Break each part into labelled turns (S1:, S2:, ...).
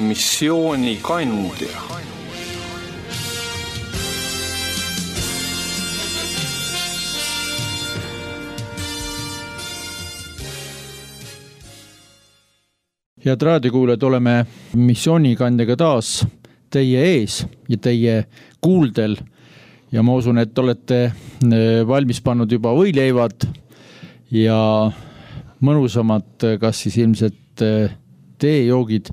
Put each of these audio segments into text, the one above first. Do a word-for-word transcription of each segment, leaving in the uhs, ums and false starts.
S1: missioonikandja.
S2: Head raadiokuulajad, oleme missioonikandjaga taas teie ees ja teie kuuldel ja ma usun, et olete valmis pannud juba võileivad ja mõnusamad, kas siis ilmselt teejoogid,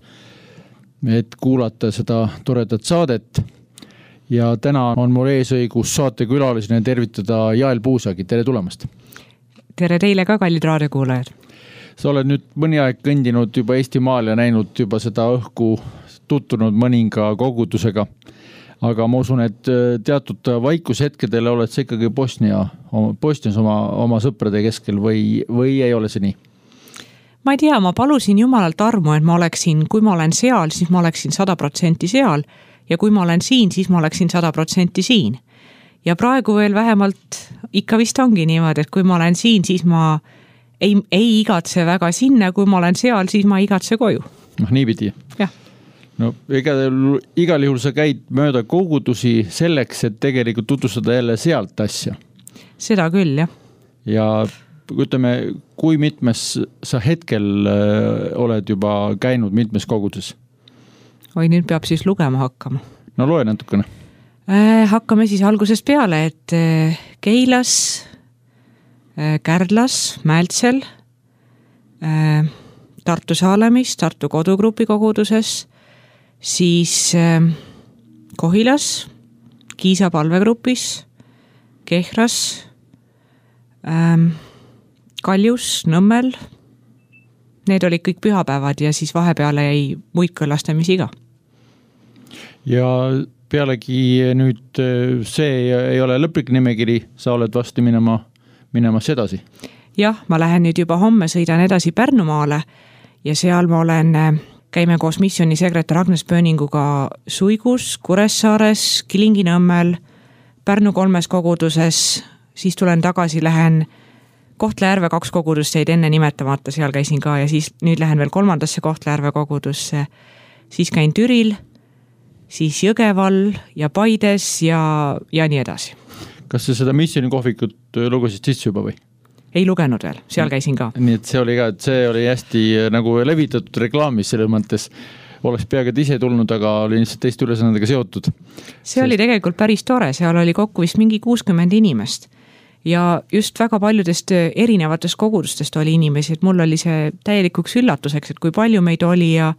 S2: et kuulata seda toredat saadet. Ja täna on mul eesõigus saatekülalisena tervitada Jael Puusagi. Tere tulemast!
S3: Tere teile ka, kallid raadiokuulajad!
S2: Sa oled nüüd mõni aeg kõndinud juba Eesti maal ja näinud juba seda õhku, tuttunud mõninga kogudusega. Aga ma usun, et teatud vaikushetkedele oled sa ikkagi Bosnia, Bosnias oma, oma sõprade keskel või, või ei ole see nii?
S3: Ma ei tea, ma palusin Jumalalt armu, et ma oleksin, kui ma olen seal, siis ma oleksin sada protsenti seal ja kui ma olen siin, siis ma oleksin sada protsenti siin. Ja praegu veel vähemalt ikka vist ongi niimoodi, et kui ma olen siin, siis ma Ei, ei igatse väga sinna, kui ma olen seal, siis ma igatse koju.
S2: Noh, nii pidi.
S3: Jah.
S2: No, igal, igal juhul sa käid mööda kogudusi selleks, et tegelikult tutvustada jälle sealt asja.
S3: Seda küll, jah.
S2: Ja ütleme, kui mitmes sa hetkel oled juba käinud mitmes koguduses?
S3: Oi, nüüd peab siis lugema hakkama.
S2: No loe natukene.
S3: Äh, hakkame siis algusest peale, et Keilas, Kärdlas, Mältsel, Tartu Saalemis, Tartu kodugrupi koguduses, siis Kohilas, Kiisa palvegrupis, Kehras, Kaljus, Nõmmel. Need olid kõik pühapäevad ja siis vahepeale jäi muid kõlastamisi ka. Ja
S2: pealegi nüüd see ei ole lõplik nimekiri, sa oled vasti minema minemas edasi.
S3: Jah, ma lähen nüüd juba homme, sõidan edasi Pärnumaale ja seal ma olen, käime koos missiooni sekretär Agnes Pööninguga Suigus, Kuressaares, Kilingi-Nõmmel, Pärnu kolmes koguduses, siis tulen tagasi, lähen Kohtla-Järve kaks kogudust jäid enne nimetamata, seal käisin ka ja siis nüüd lähen veel kolmandasse Kohtla-Järve kogudusse, siis käin Türil, siis Jõgeval ja Paides ja, ja nii edasi.
S2: Kas sa seda missiooni kohvikut lugesid sisse juba või?
S3: Ei lugenud veel, seal käisin ka.
S2: Nii et see oli ka, et see oli hästi nagu levitatud reklaamis selles mõttes. Oleks peaaegu ise tulnud, aga oli lihtsalt teist ülesannadega seotud.
S3: See oli tegelikult päris tore, seal oli kokku vist mingi kuuskümmend inimest. Ja just väga paljudest erinevatest kogudustest oli inimesi, et mul oli see täielikuks üllatuseks, et kui palju meid oli ja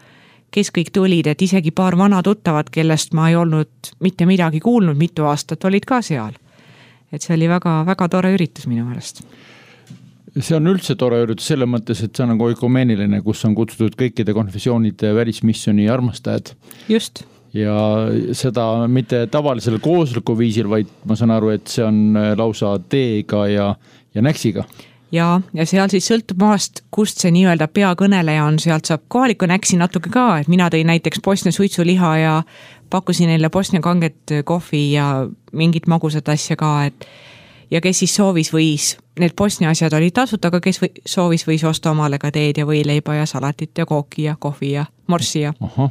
S3: kes kõik tulid, et isegi paar vana tuttavad, kellest ma ei olnud mitte midagi kuulnud mitu aastat, olid ka seal. Et see oli väga, väga tore üritus minu meelest.
S2: See on üldse tore üritus selles mõttes, et see on nagu ökumeeniline, kus on kutsutud kõikide konfessioonide välismissiooni armastajad.
S3: Just.
S2: Ja seda mitte tavalisel koosliku viisil, vaid ma saan aru, et see on lausa teega ja, ja näksiga.
S3: Ja, ja seal siis sõltub maast, kust see nii-öelda peakõneleja on, sealt saab kohaliku näksi natuke ka, et mina tõin näiteks Bosnia suitsuliha ja pakkusin neile Bosnia kanget kohvi ja mingit magusat asja ka, et ja kes siis soovis võis, need Bosnia asjad olid tasuta, aga kes või, soovis võis osta omale ka teed ja võileiba ja salatit ja kooki ja kohvi ja morssi ja.
S2: Aha.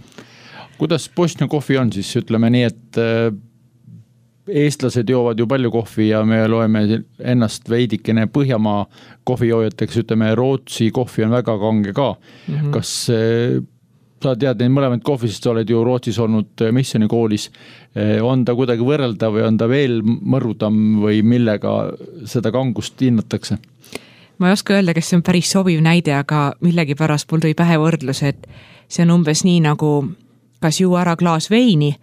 S2: Kuidas Bosnia kohvi on siis, ütleme nii, et eestlased joovad ju palju kohvi ja me loeme ennast veidikene Põhjamaa kohvijoojateks, ütleme Rootsi kohvi on väga kange ka. Mm-hmm. Kas sa tead neid mõlemad kohvi, sest sa oled ju Rootsis olnud missiooni koolis, on ta kuidagi võrrelda või on ta veel mõrudam või millega seda kangust hinnatakse?
S3: Ma ei oska öelda, kes see on päris sobiv näide, aga millegi pärast mul tõi pähe võrdlus, et see on umbes nii nagu kas juua ära klaas veini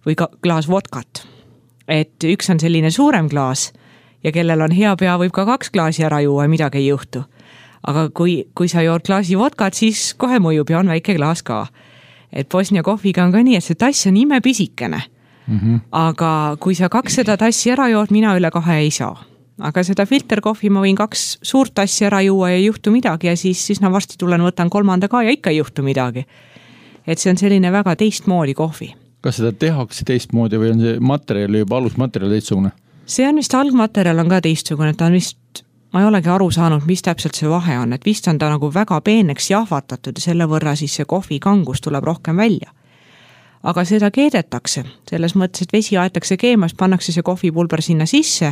S3: või ka klaas vodkat. Et üks on selline suurem klaas ja kellel on hea pea, võib ka kaks klaasi ära juua ja midagi ei juhtu. Aga kui, kui sa jood klaasi vodkat, siis kohe mõjub ja on väike klaas ka. Et Bosnia kohviga on ka nii, et see tass on ime pisikene. Mm-hmm. Aga kui sa kaks seda tassi ära jood, mina üle kahe ei saa. Aga seda filterkohvi ma võin kaks suurt tassi ära juua ja ei juhtu midagi ja siis, siis na varsti tulen, võtan kolmanda ka ja ikka ei juhtu midagi. Et see on selline väga teistmoodi kohvi.
S2: Kas seda tehakse teistmoodi või on see materjal juba alusmaterjal teistsugune?
S3: See on vist algmaterjal on ka teistsugune, et ta on vist, ma ei olegi aru saanud, mis täpselt see vahe on, et vist on ta nagu väga peeneks jahvatatud ja selle võrra siis see kohvi kangus tuleb rohkem välja. aga seda keedetakse, selles mõttes, et vesi aetakse keemas, pannakse see kohvipulber sinna sisse,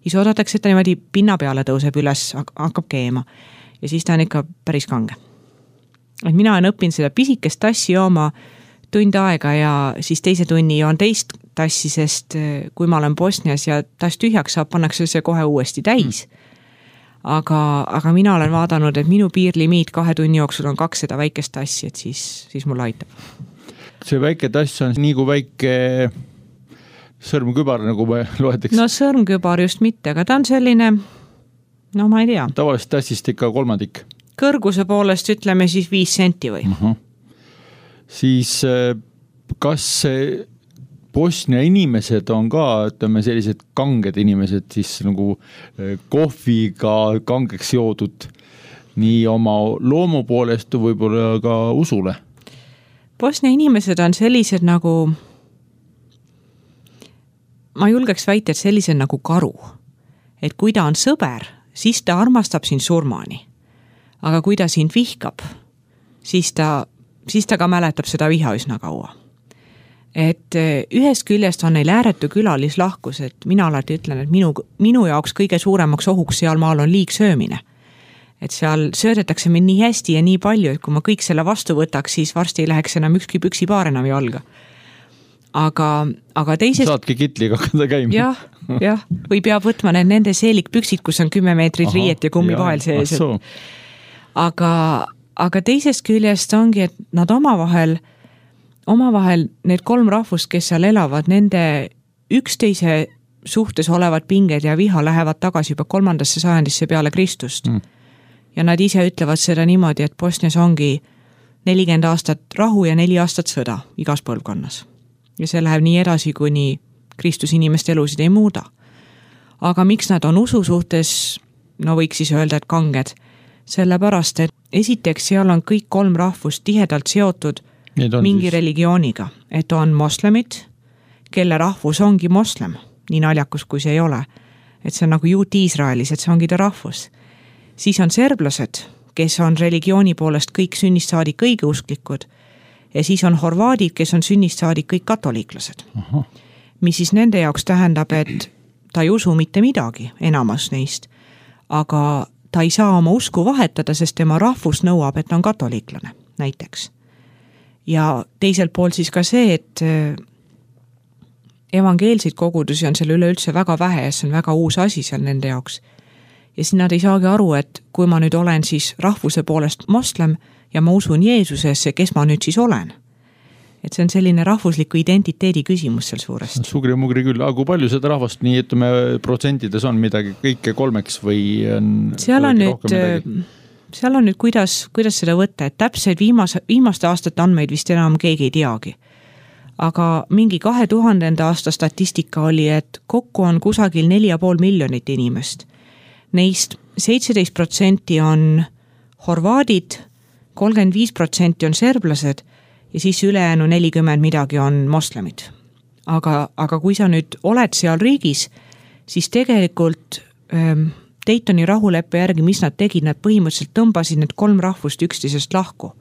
S3: siis oodatakse, et ta niimoodi pinna peale tõuseb üles, hakkab keema ja siis ta on ikka päris kange. Et mina olen õppinud seda pisikest tassi jooma tund aega ja siis teise tunni joon teist tassi, sest kui ma olen Bosnias ja tass tühjaks saab, pannakse see kohe uuesti täis. Aga, aga mina olen vaadanud, et minu piirlimiit kahe tunni jooksul on kaks seda väikest tassi, et siis, siis mul aitab.
S2: See väike tass on nii kui väike sõrmkübar, nagu me loeteks.
S3: No sõrmkübar just mitte, aga ta on selline, no ma ei tea.
S2: Tavaliselt tassist ikka kolmandik.
S3: Kõrguse poolest ütleme siis viis senti või.
S2: Uh-huh. Siis kas Bosnia inimesed on ka, ütleme, sellised kanged inimesed, siis nagu kohviga kangeks joodud nii oma loomu poolest võib-olla ka usule?
S3: Bosnia inimesed on sellised nagu, ma julgeks väita, et sellised nagu karu. Et kui ta on sõber, siis ta armastab sind surmani. Aga kui ta sind vihkab, siis ta, siis ta ka mäletab seda viha üsna kaua. Et ühest küljest on neil ääretu külalislahkus, et mina alati ütlen, et minu, minu jaoks kõige suuremaks ohuks seal maal on liigsöömine. Et seal söödetakse mind nii hästi ja nii palju, et kui ma kõik selle vastu võtaks, siis varsti ei läheks enam ükski püksipaar enam jalga. Aga, aga teisest...
S2: Saadki kitliga hakata käima.
S3: Jah, jah. Või peab võtma need nende seelikpüksid, kus on kümme meetrit Aha, riiet ja kummi vahel sees. Aga, aga teisest küljest ongi, et nad omavahel, omavahel need kolm rahvust, kes seal elavad, nende üksteise suhtes olevad pinged ja viha lähevad tagasi juba kolmandasse sajandisse peale Kristust. Mm. Ja nad ise ütlevad seda niimoodi, et Bosnias ongi nelikümmend aastat rahu ja neli aastat sõda igas põlvkonnas. Ja see läheb nii edasi, kuni Kristus inimeste elusid ei muuda. Aga miks nad on usu suhtes, no võiks siis öelda, et kanged, sellepärast, et esiteks seal on kõik kolm rahvust tihedalt seotud mingi siis... religiooniga, et on moslemid, kelle rahvus ongi moslem, nii naljakus kui see ei ole, et see on nagu juut Iisraelis, et see ongi ta rahvus. Siis on serblased, kes on religiooni poolest kõik sünnist saadik õigeusklikud ja siis on horvaadid, kes on sünnist saadik kõik katoliiklased. Aha. Mis siis nende jaoks tähendab, et ta ei usu mitte midagi enamas neist, aga ta ei saa oma usku vahetada, sest tema rahvus nõuab, et ta on katoliiklane näiteks. Ja teiselt poolt siis ka see, et evangeelseid kogudusi on seal üleüldse väga vähe ja see on väga uus asi seal nende jaoks. Ja siis nad ei saagi aru, et kui ma nüüd olen siis rahvuse poolest moslem ja ma usun Jeesusesse, kes ma nüüd siis olen. Et see on selline rahvusliku identiteedi küsimus seal suuresti.
S2: Sugri mugri küll, aga kui palju seda rahvast nii, ütleme, protsentides on midagi kõike kolmeks või on
S3: seal on nüüd, seal on nüüd kuidas, kuidas seda võtta, et täpselt viimase, viimaste aastate andmeid vist enam keegi ei teagi. Aga mingi kahe tuhandenda aasta statistika oli, et kokku on kusagil neli ja pool miljonit inimest. Neist seitseteist protsenti on horvaadid, kolmkümmend viis protsenti on serblased ja siis ülejäänu nelikümmend midagi on moslemid. Aga, aga kui sa nüüd oled seal riigis, siis tegelikult ähm, Daytoni rahuleppe järgi, mis nad tegid, nad põhimõtteliselt tõmbasid need kolm rahvust üksteisest lahku.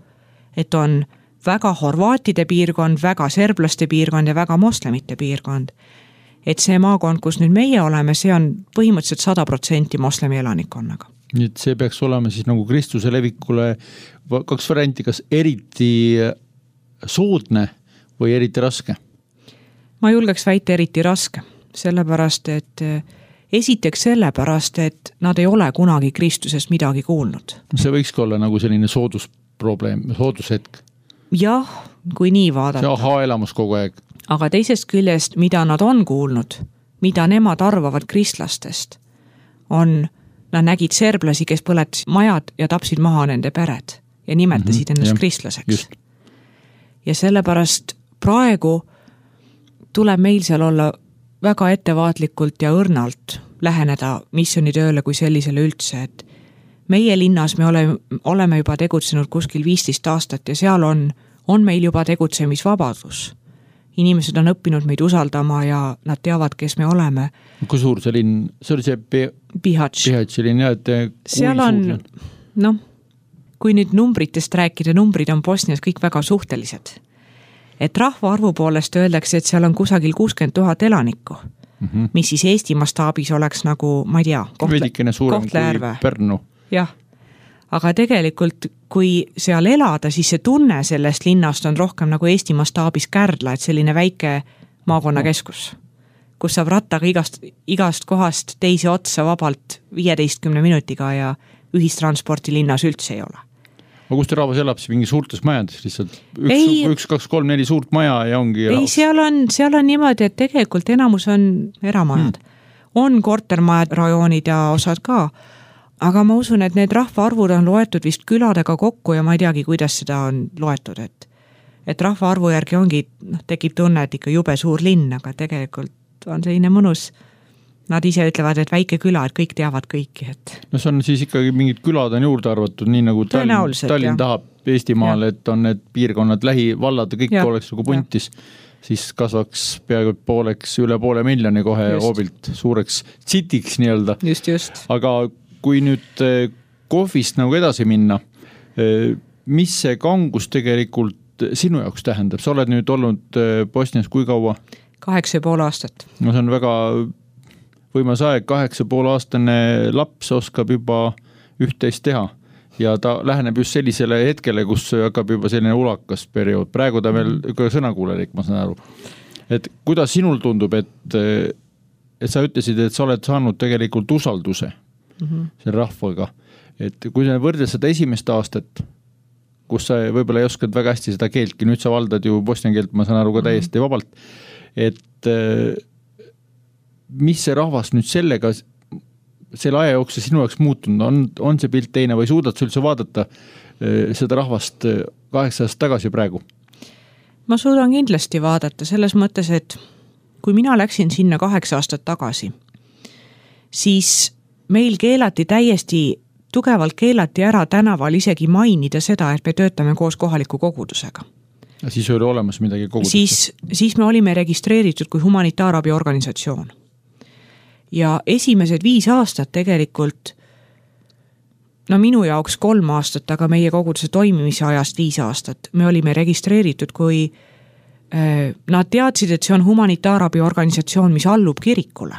S3: Et on väga horvaatide piirkond, väga serblaste piirkond ja väga moslemite piirkond. Et see maakond, kus nüüd meie oleme, see on põhimõtteliselt sada protsenti moslemi elanikkonnaga.
S2: Nii et see peaks olema siis nagu Kristuse levikule kaks varianti, kas eriti soodne või eriti raske?
S3: Ma julgeks väita eriti raske, sellepärast, et esiteks sellepärast, et nad ei ole kunagi Kristusest midagi kuulnud.
S2: See võikski olla nagu selline soodusprobleem, soodushetk.
S3: Jah, kui nii vaadata.
S2: See aha elamus kogu aeg.
S3: Aga teisest küljest, mida nad on kuulnud, mida nemad arvavad kristlastest, on, nad nägid serblasi, kes põletasid majad ja tapsid maha nende pered ja nimetasid mm-hmm, ennast jah, kristlaseks. Just. Ja sellepärast praegu tuleb meil seal olla väga ettevaatlikult ja õrnalt läheneda missionitööle kui sellisele üldse, et meie linnas me oleme, oleme juba tegutsenud kuskil viisteist aastat ja seal on, on meil juba tegutsemisvabadus. Inimesed on õppinud meid usaldama ja nad teavad, kes me oleme.
S2: Kui suur see linn? See oli see P-
S3: Bihać.
S2: Bihać linn, jah, et
S3: seal on, noh, kui nüüd numbritest rääkida, numbrid on Bosnias kõik väga suhtelised. et rahvaarvu poolest öeldakse, et seal on kusagil kuuskümmend tuhat elanikku, mm-hmm. mis siis Eesti mastaabis oleks nagu, ma ei tea,
S2: Kohtla, Kohtla-Järve. Pärnu.
S3: Jah, aga tegelikult kui seal elada, siis see tunne sellest linnast on rohkem nagu Eesti mastaabis Kärdla, et selline väike maakonnakeskus, kus saab rattaga igast, igast kohast teise otsa vabalt viieteistkümne minutiga ja ühistransporti linnas üldse ei ole.
S2: Aga kus te rahvas elab, siis mingi suurtes majades lihtsalt? Üks, ei, üks, kaks, kolm, neli suurt maja ja ongi
S3: ei, seal on, seal on niimoodi, et tegelikult enamus on eramajad. Hmm. On kortermajad, rajoonid ja osad ka, aga ma usun, et need rahvaarvud on loetud vist küladega kokku ja ma ei teagi, kuidas seda on loetud, et, et rahvaarvu järgi ongi, noh, tekib tunne, et ikka jube suur linn, aga tegelikult on selline mõnus. Nad ise ütlevad, et väike küla, et kõik teavad kõiki. Et...
S2: No see on siis ikkagi mingid külad on juurde arvatud, nii nagu Tallinn, Tallinn tahab Eestimaal, et on need piirkonnad, lähivallad ja kõik ja. Oleks nagu puntis, ja. Siis kasvaks peaaegu pooleks üle poole miljoni kohe just. Hoobilt suureks citiks nii-öelda.
S3: Just, just.
S2: Aga kui nüüd kohvist nagu edasi minna, mis see kangus tegelikult sinu jaoks tähendab? Sa oled nüüd olnud Bosnias kui kaua?
S3: Kaheksa ja pool aastat.
S2: No see on väga... võimas aeg, kaheksa pool aastane laps oskab juba üht-teist teha ja ta läheneb just sellisele hetkele, kus hakkab juba selline ulakas periood. Praegu ta veel ka sõnakuulelik, ma saan aru. Et kuidas sinul tundub, et, et sa ütlesid, et sa oled saanud tegelikult usalduse mm-hmm. selle rahvaga. Et kui sa võrdled seda esimest aastat, kus sa võib-olla ei oskanud väga hästi seda keeltki, nüüd sa valdad ju bosnian keelt, ma saan aru ka täiesti mm-hmm. vabalt, et mis see rahvas nüüd sellega, selle aja jooksul sinu jaoks muutunud, on, on see pilt teine või suudad sa üldse vaadata seda rahvast kaheksa aastat tagasi praegu?
S3: Ma suudan kindlasti vaadata selles mõttes, et kui mina läksin sinna kaheksa aastat tagasi, siis meil keelati täiesti, tugevalt keelati ära tänaval isegi mainida seda, et me töötame koos kohaliku kogudusega.
S2: Ja siis oli olemas midagi kogudusse?
S3: Siis, siis me olime registreeritud kui humanitaarabi organisatsioon. Ja esimesed viis aastat tegelikult, no minu jaoks kolm aastat, aga meie koguduse toimimise ajast viis aastat, me olime registreeritud, kui äh, nad teadsid, et see on humanitaarabi organisatsioon, mis allub kirikule.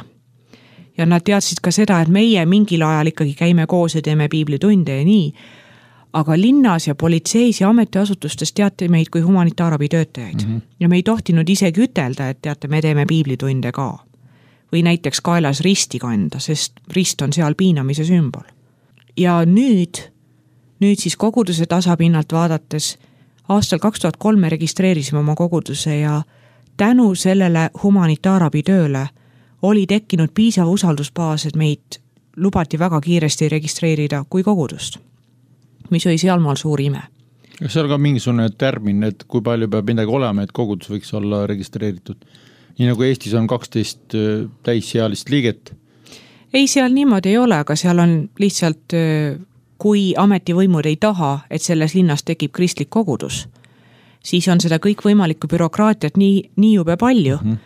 S3: Ja nad teadsid ka seda, et meie mingil ajal ikkagi käime koos ja teeme piiblitunde ja nii, aga linnas ja politseis ja ametiasutustes teate meid kui humanitaarabi töötajaid. Mm-hmm. Ja me ei tohtinud isegi ütelda, et teate, me teeme piiblitunde ka. Või näiteks kaelas risti kanda, sest rist on seal piinamise sümbol. Ja nüüd, nüüd siis koguduse tasapinnalt vaadates, aastal kaks tuhat kolm me registreerisime oma koguduse ja tänu sellele humanitaarabi tööle oli tekkinud piisav usaldusbaas, et meid lubati väga kiiresti registreerida kui kogudust, mis oli sealmaal suur ime.
S2: Kas seal ka mingisugune termin, et kui palju peab midagi olema, et kogudus võiks olla registreeritud? Nii nagu Eestis on kaksteist täissealist liiget?
S3: Ei, seal niimoodi ei ole, aga seal on lihtsalt, kui ametivõimud ei taha, et selles linnas tekib kristlik kogudus, siis on seda kõik võimalikku bürokraatiat nii, nii jube palju, mm-hmm.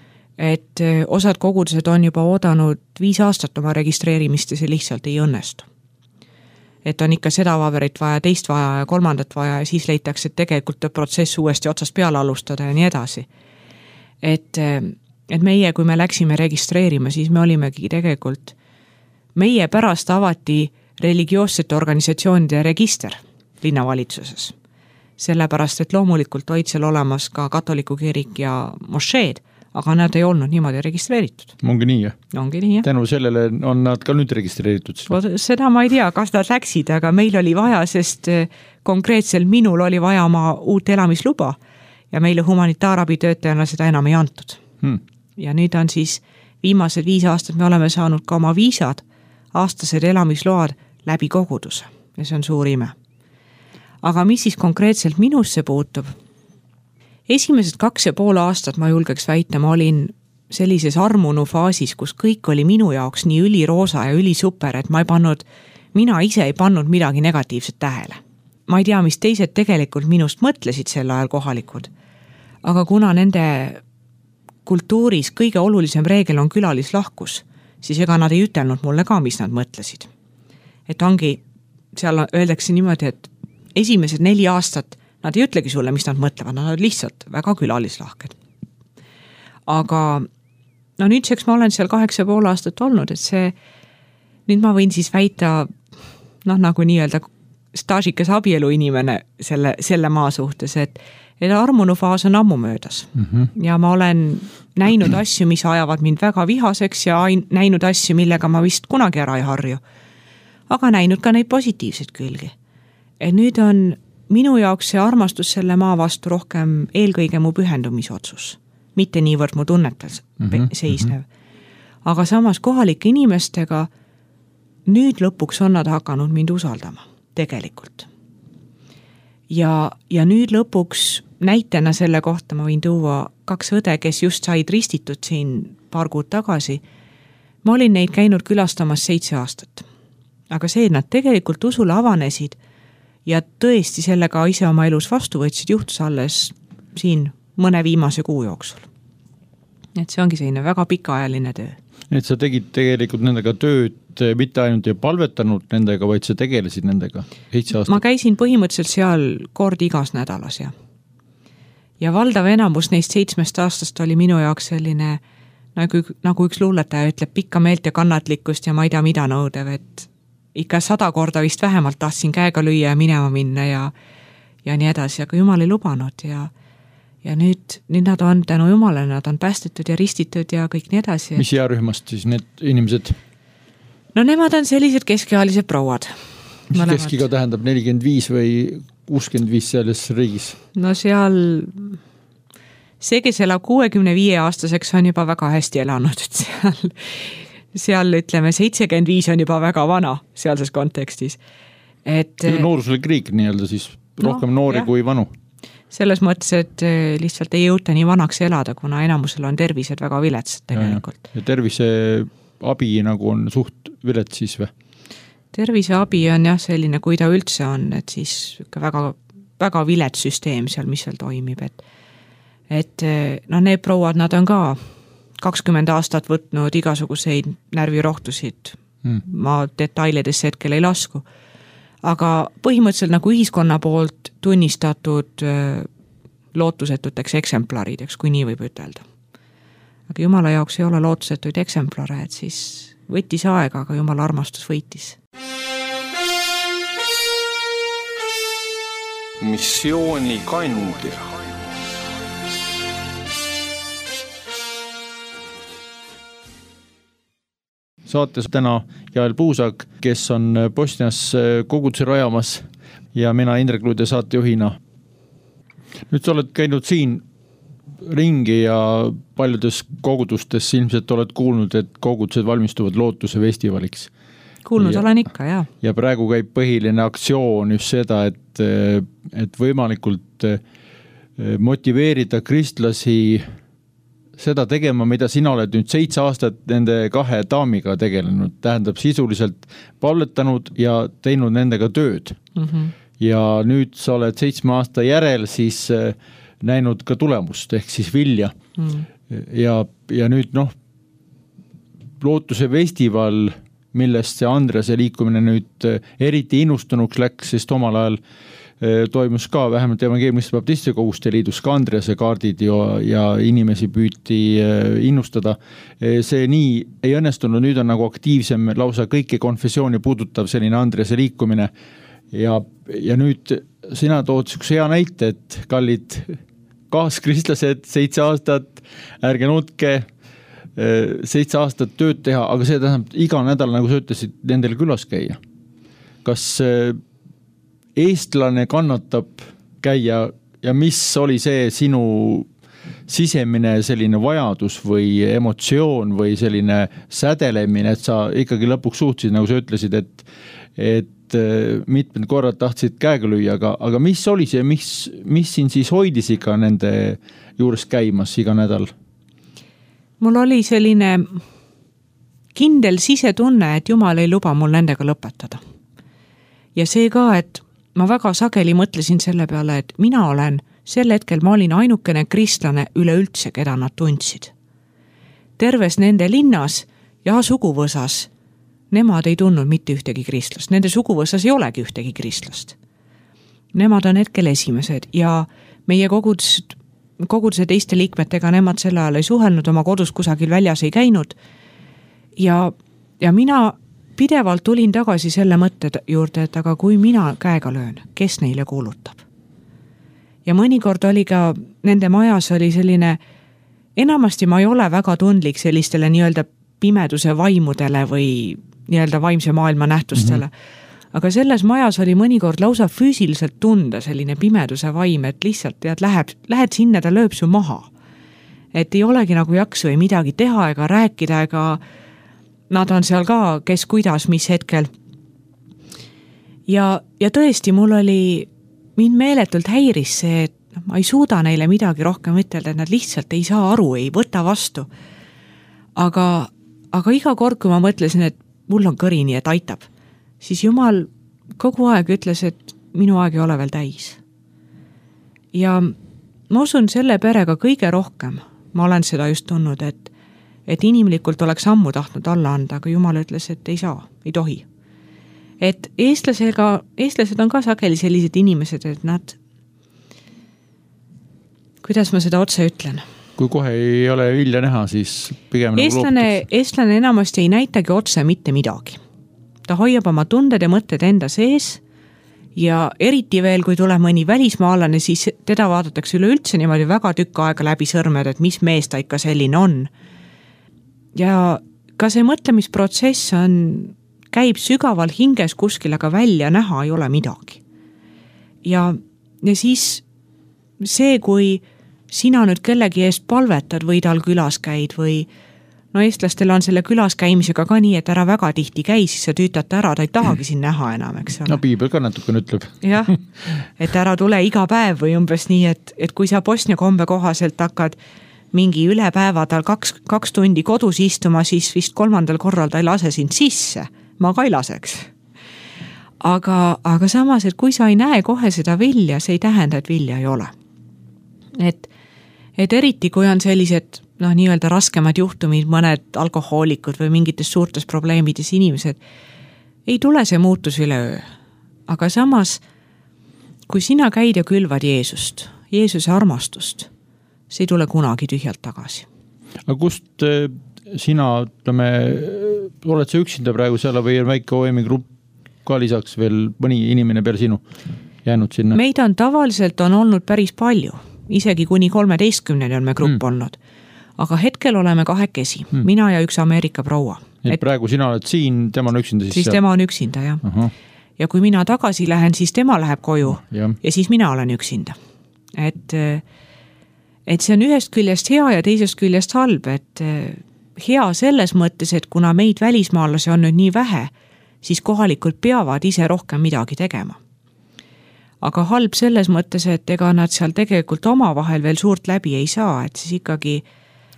S3: et osad kogudused on juba oodanud viis aastat oma registreerimist ja see lihtsalt ei õnnestu. Et on ikka seda paberit vaja, teist vaja ja kolmandat vaja ja siis leitakse, et tegelikult protsess uuesti otsast peale alustada ja nii edasi. Et, et meie, kui me läksime registreerima, siis me olimegi tegelikult, meie pärast avati religioossete organisatsioonide register linnavalitsuses. Sellepärast, et loomulikult olid seal olemas ka katoliku kirik ja mošeed, aga nad ei olnud niimoodi registreeritud.
S2: Ongi nii, jah?
S3: Ongi nii, jah.
S2: Tänu sellele on nad ka nüüd registreeritud.
S3: Seda ma ei tea, kas nad läksid, aga meil oli vaja, sest konkreetselt minul oli vaja oma uut elamisluba ja meile humanitaarabi töötajana seda enam ei antud. Hmm. Ja nüüd on siis viimased viis aastat me oleme saanud ka oma viisad, aastased elamisload läbi koguduse ja see on suur ime. Aga mis siis konkreetselt minusse puutub? Esimesed kaks ja pool aastat ma julgeks väita, ma olin sellises armunu faasis, kus kõik oli minu jaoks nii üliroosa ja ülisuper, et ma ei pannud, mina ise ei pannud midagi negatiivset tähele. Ma ei tea, mis teised tegelikult minust mõtlesid sel ajal kohalikud, aga kuna nende kultuuris kõige olulisem reegel on külalislahkus, siis ega nad ei ütelnud mulle ka, mis nad mõtlesid. Et ongi, seal öeldakse niimoodi, et esimesed neli aastat nad ei ütlegi sulle, mis nad mõtlevad, nad on lihtsalt väga külalislahked. Aga no nüüdseks ma olen seal kaheksa pool aastat olnud, et see, nüüd ma võin siis väita, noh nagu nii-öelda staažikas abielu inimene selle, selle maa suhtes, et, et armunu faas on ammu möödas. Mm-hmm. Ja ma olen näinud asju, mis ajavad mind väga vihaseks ja näinud asju, millega ma vist kunagi ära ei harju. Aga näinud ka neid positiivseid külgi. Et nüüd on minu jaoks see armastus selle maa vastu rohkem eelkõige mu pühendumisotsus. Mitte niivõrd mu tunnetel mm-hmm. seisnev. Aga samas kohalike inimestega nüüd lõpuks on nad hakanud mind usaldama. Tegelikult. Ja, ja nüüd lõpuks näitena selle kohta ma võin tuua kaks õde, kes just said ristitud siin paar kuud tagasi. Ma olin neid käinud külastamas seitse aastat. Aga see, et nad tegelikult usule avanesid ja tõesti sellega ise oma elus vastu võtsid, juhtus alles siin mõne viimase kuu jooksul. Et see ongi selline väga pikaajaline töö.
S2: Et sa tegid tegelikult nendega tööd, mitte ainult ei palvetanud nendega, vaid sa tegelesid nendega seitse aastat.
S3: Ma käisin põhimõtteliselt seal kord igas nädalas ja. Ja valdav enamus neist seitsmest aastast oli minu jaoks selline, nagu, nagu üks luuletaja ütleb, pikka meelt ja kannatlikkust ja ma ei tea mida nõudev, et ikka sada korda vist vähemalt tahtsin käega lüüa ja minema minna ja, ja nii edasi, aga Jumal ei lubanud ja Ja nüüd, nüüd nad on tänu Jumalale, nad on päästetud ja ristitud ja kõik nii edasi.
S2: Mis jääruhmast siis need inimesed?
S3: No nemad on sellised keskealised prouad.
S2: Mis keskiga tähendab nelikümmend viis või kuuskümmend viis selles riigis?
S3: No seal, see, kes elab kuuekümne viie aastaseks on juba väga hästi elanud, et seal, seal ütleme seitsekümmend viis on juba väga vana sealses kontekstis. Et,
S2: nooruslik riik nii-öelda siis rohkem no, noori jah. Kui vanu.
S3: Selles mõttes, et lihtsalt ei jõuta nii vanaks elada, kuna enamusel on tervised väga viletsad tegelikult.
S2: Ja, ja tervise abi nagu on suht vilets siis või?
S3: Tervise abi on jah selline, kui ta üldse on, et siis väga, väga vilets süsteem seal, mis seal toimib. Et, et no need prouad, nad on ka kakskümmend aastat võtnud igasuguseid närvirohtusid. Hmm. Ma detailidesse hetkel ei lasku. Aga põhimõtteliselt nagu ühiskonna poolt tunnistatud lootusetuteks eksemplarideks, kui nii võib ütelda. Aga Jumala jaoks ei ole lootusetuid eksemplare, et siis võttis aega, aga Jumala armastus võitis.
S1: Missiooni kandja.
S2: Saates täna Jael Puusak, kes on Bosnias koguduse rajamas ja mina Indrek Luude saatejuhina. Nüüd sa oled käinud siin ringi ja paljudes kogudustes ilmselt oled kuulnud, et kogudused valmistuvad lootuse festivaliks.
S3: Kuulnud ja, olen ikka, jah.
S2: Ja praegu käib põhiline aktsioon just seda, et, et võimalikult motiveerida kristlasi seda tegema, mida sina oled nüüd seitse aastat nende kahe daamiga tegelenud. Tähendab sisuliselt palvetanud ja teinud nendega tööd. Mm-hmm. Ja nüüd sa oled seitsme aasta järel siis näinud ka tulemust, ehk siis vilja. Mm. Ja, ja nüüd noh, lootuse festival, millest see Andrease liikumine nüüd eriti innustunuks läks, sest omal ajal toimus ka vähemalt evangeelmiste baptistide koguste liidus ka Andrease kaardid ja, ja inimesi püüti innustada. See nii ei õnnestunud, nüüd on nagu aktiivsem lausa kõiki konfessiooni puudutav selline Andrease liikumine ja, ja nüüd sina tood üks hea näite, et kallid kaaskristlased, seitse aastat, ärge nutke, seitse aastat tööd teha, aga see tähendab iga nädal, nagu sa ütlesid, nendel külas käia. Kas eestlane kannatab käia ja mis oli see sinu sisemine selline vajadus või emotsioon või selline sädelemine, et sa ikkagi lõpuks suhtsid, nagu sa ütlesid, et, et mitmed korrad tahtsid käega lüüa, aga, aga mis oli see, mis, mis siin siis hoidis iga nende juures käimas iga nädal?
S3: Mul oli selline kindel sisetunne, et Jumal ei luba mul nendega lõpetada. Ja see ka, et ma väga sageli mõtlesin selle peale, et mina olen, sel hetkel ma olin ainukene kristlane üleüldse, keda nad tundsid. Terves nende linnas ja suguvõsas, nemad ei tundnud mitte ühtegi kristlast. Nende suguvõsas ei olegi ühtegi kristlast. nemad on hetkel esimesed ja meie kogudus, koguduse teiste liikmetega nemad sel ajal ei suhelnud, oma kodus kusagil väljas ei käinud. Ja, ja mina pidevalt tulin tagasi selle mõtte juurde, et aga kui mina käega löön, kes neile kuulutab? Ja mõnikord oli ka, nende majas oli selline, enamasti ma ei ole väga tundlik sellistele nii-öelda pimeduse vaimudele või nii-öelda vaimse maailma nähtustele. Mm-hmm. Aga selles majas oli mõnikord lausa füüsiliselt tunda selline pimeduse vaim, et lihtsalt tead, läheb, lähed sinna, ta lööb su maha. Et ei olegi nagu jaksu ei midagi teha ega rääkida, ega nad on seal ka, kes kuidas, mis hetkel. Ja, ja tõesti, mul oli, mind meeletult häiris see, et ma ei suuda neile midagi rohkem ütelda, et nad lihtsalt ei saa aru, ei võta vastu. Aga, aga iga kord, kui ma mõtlesin, et mul on kõrini, et aitab, siis Jumal kogu aeg ütles, et minu aeg ei ole veel täis. Ja ma usun selle perega kõige rohkem, ma olen seda just tundnud, et, et inimlikult oleks ammu tahtnud alla anda, aga Jumal ütles, et ei saa, ei tohi. Et eestlasega, eestlased on ka sageli sellised inimesed, et nad, kuidas ma seda otse ütlen?
S2: Kui kohe ei ole vilja näha, siis pigem
S3: eestlane, nagu eestlane enamasti ei näitagi otse mitte midagi. Ta hoiab oma tunded ja mõtted enda sees ja eriti veel, kui tuleb mõni välismaalane, siis teda vaadatakse üleüldse niimoodi väga tükk aega läbi sõrmed, et mis mees ta ikka selline on. Ja ka see mõtlemisprotsess on, käib sügaval hinges kuskil, aga välja näha ei ole midagi. Ja, ja siis see, kui sina nüüd kellegi eest palvetad või tal külas käid või no eestlastel on selle külas käimisega ka nii, et ära väga tihti käi, siis sa tüütate ära, ta ei tahagi siin näha enam, eks ole.
S2: No piibel ka natukene ütleb.
S3: Jah, et ära tule iga päev või umbes nii, et, et kui sa Bosnia kombe kohaselt hakkad mingi üle päeva tal kaks, kaks tundi kodus istuma, siis vist kolmandal korral ta ei lase sind sisse. Ma ka ei laseks. Aga, aga samas, et kui sa ei näe kohe seda vilja, see ei tähenda, et vilja ei ole. Et Et eriti, kui on sellised noh, nii-öelda raskemad juhtumid, mõned alkohoolikud või mingites suurtes probleemides inimesed, ei tule see muutus üle öö. Aga samas, kui sina käid ja külvad Jeesust, Jeesuse armastust, see ei tule kunagi tühjalt tagasi.
S2: Aga kust sina, ütleme, oled sa üksinda praegu seal või on väike O M-i grupp ka lisaks veel mõni inimene peale sinu jäänud sinna?
S3: Meid on tavaliselt on olnud päris palju. Isegi kuni kolmeteistkümneni on me grupp mm. olnud. Aga hetkel oleme kahekesi, mm. mina ja üks Ameerika proua.
S2: Et, et praegu sina oled siin, tema on üksinda siis?
S3: Siis
S2: seal?
S3: Tema on üksinda, jah.
S2: Aha.
S3: Ja kui mina tagasi lähen, siis tema läheb koju
S2: ja,
S3: ja siis mina olen üksinda. Et, et see on ühest küljest hea ja teisest küljest halb, et hea selles mõttes, et kuna meid välismaalasi on nüüd nii vähe, siis kohalikult peavad ise rohkem midagi tegema. Aga halb selles mõttes, et ega nad seal tegelikult oma vahel veel suurt läbi ei saa, et siis ikkagi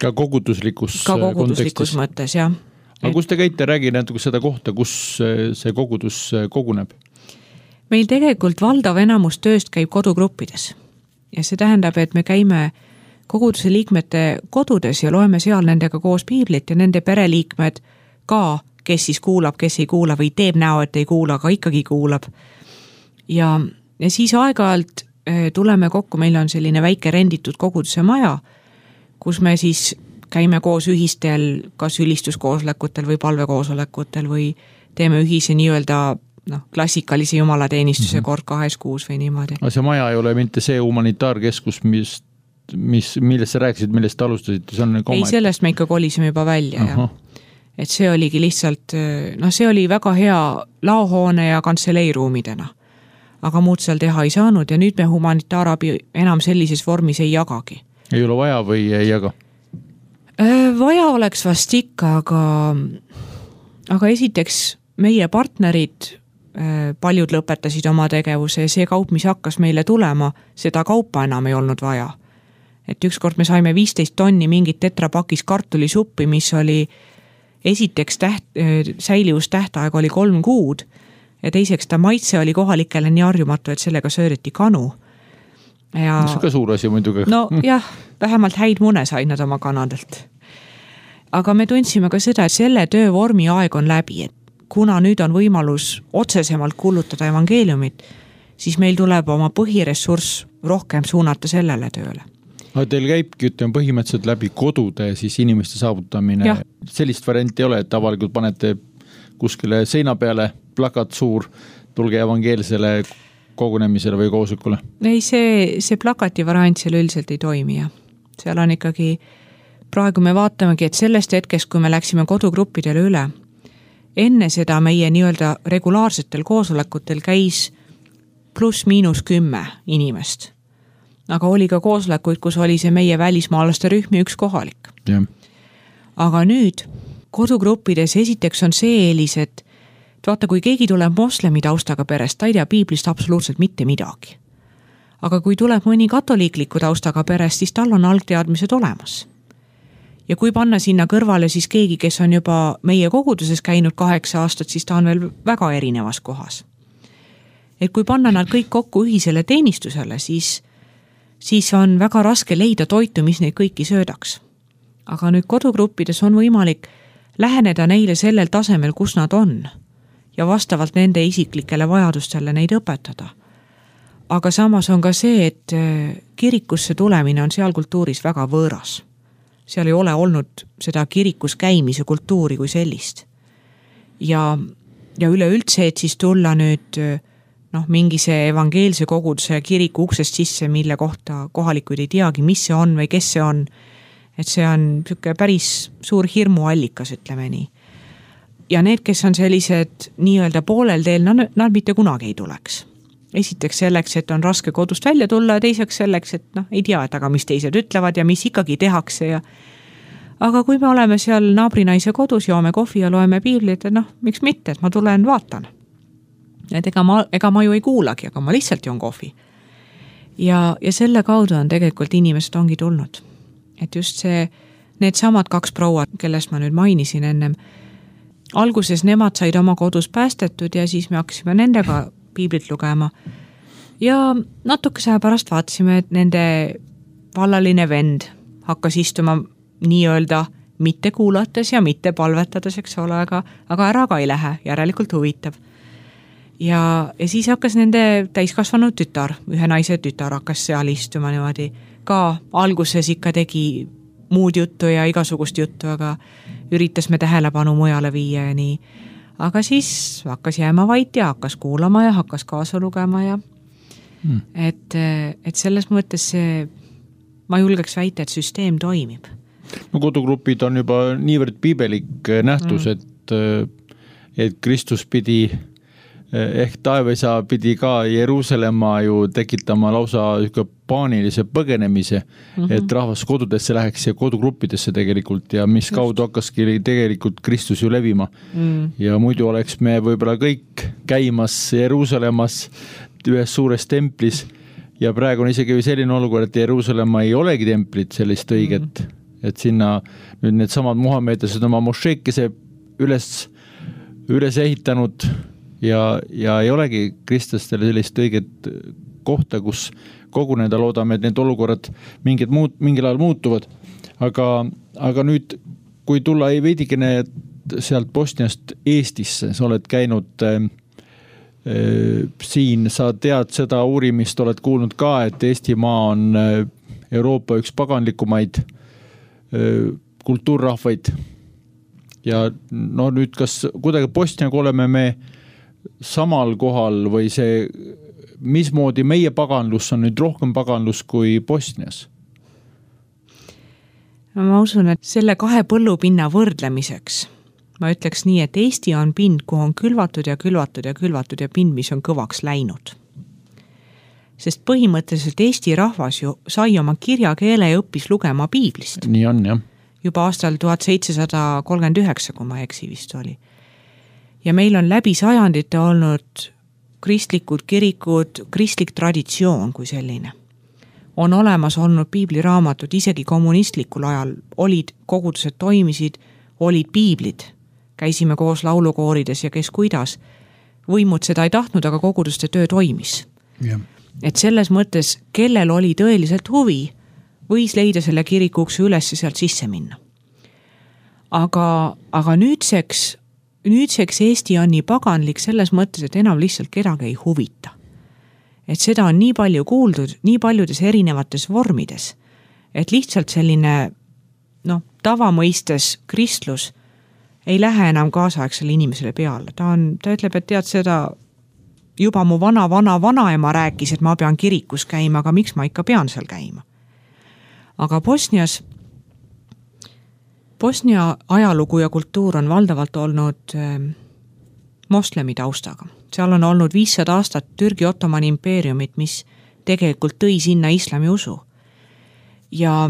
S2: ka koguduslikus,
S3: ka koguduslikus mõttes, jah.
S2: Aga kus te käite, räägi natuke seda kohta, kus see kogudus koguneb?
S3: Meil tegelikult valdav enamus tööst käib kodugruppides. Ja see tähendab, et me käime koguduse liikmete kodudes ja loeme seal nendega koos piiblit ja nende pereliikmed ka, kes siis kuulab, kes ei kuula või teeb näo, et ei kuula, aga ikkagi kuulab. Ja Ja siis aeg-ajalt tuleme kokku, meil on selline väike renditud koguduse maja, kus me siis käime koos ühistel, kas ülistuskoosolekutel või palvekoosolekutel või teeme ühise nii-öelda no, klassikalise jumalateenistuse mm-hmm. kord kahes kuus või niimoodi.
S2: Aga see maja ei ole mitte see humanitaarkeskus, mis, mis, millest sa rääkisid, millest alustasid? See on
S3: ei, sellest me ikka kolisime juba välja. Ja. Et see oligi lihtsalt, no see oli väga hea laohoone ja kantseleeruumidena. Aga muud seal teha ei saanud ja nüüd me humanitaarabi enam sellises vormis ei jagagi.
S2: Ei ole vaja või ei jaga?
S3: Vaja oleks vast ikka, aga, aga esiteks meie partnerid, paljud lõpetasid oma tegevuse ja see kaup, mis hakkas meile tulema, seda kaupa enam ei olnud vaja. Et ükskord me saime viisteist tonni mingit tetrapakis kartulisuppi, mis oli esiteks täht, säilivus tähtaeg oli kolm kuud, ja teiseks ta maitse oli kohalikele nii arjumatu, et sellega sööreti kanu. Ja,
S2: see on ka suur asi muidugi.
S3: No jah, vähemalt häid mune said nad oma kanadelt. Aga me tundsime ka seda, et selle töövormi aeg on läbi, et kuna nüüd on võimalus otsesemalt kuulutada evangeeliumit, siis meil tuleb oma põhiressurss rohkem suunata sellele tööle.
S2: aga teil käibki, ütleme, põhimõtteliselt läbi kodude siis inimeste saavutamine.
S3: Ja. Sellist
S2: varianti ei ole, et avalikult panete kuskile seina peale plakat suur, tulge evangeelsele kogunemisele või koosolekule?
S3: Ei, see, see plakati variant seal üldiselt ei toimi. Ja. Seal on ikkagi, praegu me vaatamegi, et sellest hetkest, kui me läksime kodugruppidele üle, enne seda meie nii-öelda regulaarsetel koosolekutel käis pluss miinus kümme inimest. Aga oli ka koosolekuid, kus oli see meie välismaalaste rühm ja üks kohalik.
S2: Ja.
S3: Aga nüüd kodugruppides esiteks on see eelis, et vaata, kui keegi tuleb moslemi taustaga perest, ta ei tea piiblist absoluutselt mitte midagi. Aga kui tuleb mõni katoliikliku taustaga perest, siis tal on algteadmised olemas. Ja kui panna sinna kõrvale siis keegi, kes on juba meie koguduses käinud kaheksa aastat, siis ta on veel väga erinevas kohas. Et kui panna nad kõik kokku ühisele teenistusele, siis, siis on väga raske leida toitu, mis neid kõiki söödaks. Aga nüüd kodugruppides on võimalik läheneda neile sellel tasemel, kus nad on ja vastavalt nende isiklikele vajadustele neid õpetada. Aga samas on ka see, et kirikusse tulemine on seal kultuuris väga võõras. Seal ei ole olnud seda kirikus käimise kultuuri kui sellist. Ja, ja üleüldse, et siis tulla nüüd noh, mingi see evangeelse koguduse kiriku uksest sisse, mille kohta kohalikuid ei teagi, mis see on või kes see on. Et see on niisugune päris suur hirmuallikas, ütleme nii. Ja need, kes on sellised nii-öelda poolel teel, nad, nad mitte kunagi ei tuleks. Esiteks selleks, et on raske kodust välja tulla ja teiseks selleks, et noh, ei tea, et aga mis teised ütlevad ja mis ikkagi tehakse. Ja... Aga kui me oleme seal naabrinaise kodus, joome kohvi ja loeme piiblit, et noh, miks mitte, et ma tulen vaatan. Et ega ma, ega ma ju ei kuulagi, aga ma lihtsalt joon kohvi. Ja, ja selle kaudu on tegelikult inimesed ongi tulnud. Et just see, need samad kaks proua, kellest ma nüüd mainisin ennem, alguses nemad said oma kodus päästetud ja siis me hakkasime nendega piiblit lugema. Ja natukese aja pärast vaatasime, et nende vallaline vend hakkas istuma nii-öelda mitte kuulates ja mitte palvetades, eks ole, aga, aga ära ka ei lähe, järelikult huvitab. Ja, ja siis hakkas nende täiskasvanud tütar, ühe naise tütar hakkas seal istuma niimoodi. Ka alguses ikka tegi muud juttu ja igasugust juttu, aga üritas me tähelepanu mujale viia ja nii. Aga siis hakkas jääma vait ja hakkas kuulama ja hakkas kaasa lugema ja hmm. et, et selles mõttes see, ma julgeks väita, et süsteem toimib.
S2: No kodugrupid on juba niivõrd piibelik nähtus, hmm. et, et Kristus pidi ehk taevesa pidi ka Jeruusalemma ju tekitama lausa paanilise põgenemise, mm-hmm. et rahvas kodudesse läheks ja kodugruppidesse tegelikult ja mis kaudu hakkaski tegelikult Kristus ju levima. Mm. Ja muidu oleks me võib-olla kõik käimas Jeruusalemmas ühes suures templis ja praegu on isegi selline olukord, et Jeruusalemma ei olegi templit sellist õiget, mm. et sinna nüüd need samad Muhamedlased oma mošeekese üles, üles ehitanud Ja, ja ei olegi kristlastele sellist õiget kohta, kus koguneda loodame, et need olukorrad mingid muut, mingil ajal muutuvad. Aga, aga nüüd, kui tulla ei veidikene sealt Bosniast Eestisse, sa oled käinud äh, siin, sa tead seda uurimist, oled kuulnud ka, et Eestimaa on Euroopa üks paganlikumaid äh, kultuurrahvaid. Ja no nüüd, kas kuidagi Bosniaga oleme me samal kohal või see, mismoodi meie paganlus on nüüd rohkem paganlus kui Bosnias?
S3: Ma usun, et selle kahe põllupinna võrdlemiseks ma ütleks nii, et Eesti on pind, kuhu on külvatud ja külvatud ja külvatud ja pind, mis on kõvaks läinud. Sest põhimõtteliselt Eesti rahvas ju sai oma kirjakeele ja õppis lugema piiblist.
S2: Nii on, jah.
S3: Juba aastal tuhat seitsesada kolmkümmend üheksa, kui ma eksi vist oli. Ja meil on läbi sajandite olnud kristlikud kirikud, kristlik traditsioon kui selline. On olemas olnud piibliraamatud, isegi kommunistlikul ajal olid kogudused toimisid, olid piiblid. Käisime koos laulukoorides ja kes kuidas. Võimud seda ei tahtnud, aga koguduste töö toimis. Yeah. Et selles mõttes, kellel oli tõeliselt huvi, võis leida selle kirikuks üles ja sealt sisse minna. Aga, aga nüüdseks Nüüdseks Eesti on nii paganlik selles mõttes, et enam lihtsalt kedagi ei huvita. et seda on nii palju kuuldud, nii paljudes erinevates vormides, et lihtsalt selline noh, tavamõistes kristlus ei lähe enam kaasaegsele inimesele peale. Ta, on, ta ütleb, et tead seda, juba mu vana, vana, vanaema rääkis, et ma pean kirikus käima, aga miks ma ikka pean seal käima? Aga Bosnias, Bosnia ajalugu ja kultuur on valdavalt olnud moslemi taustaga. Seal on olnud viissada aastat Türgi Ottomani impeeriumit, mis tegelikult tõi sinna islami usu. Ja,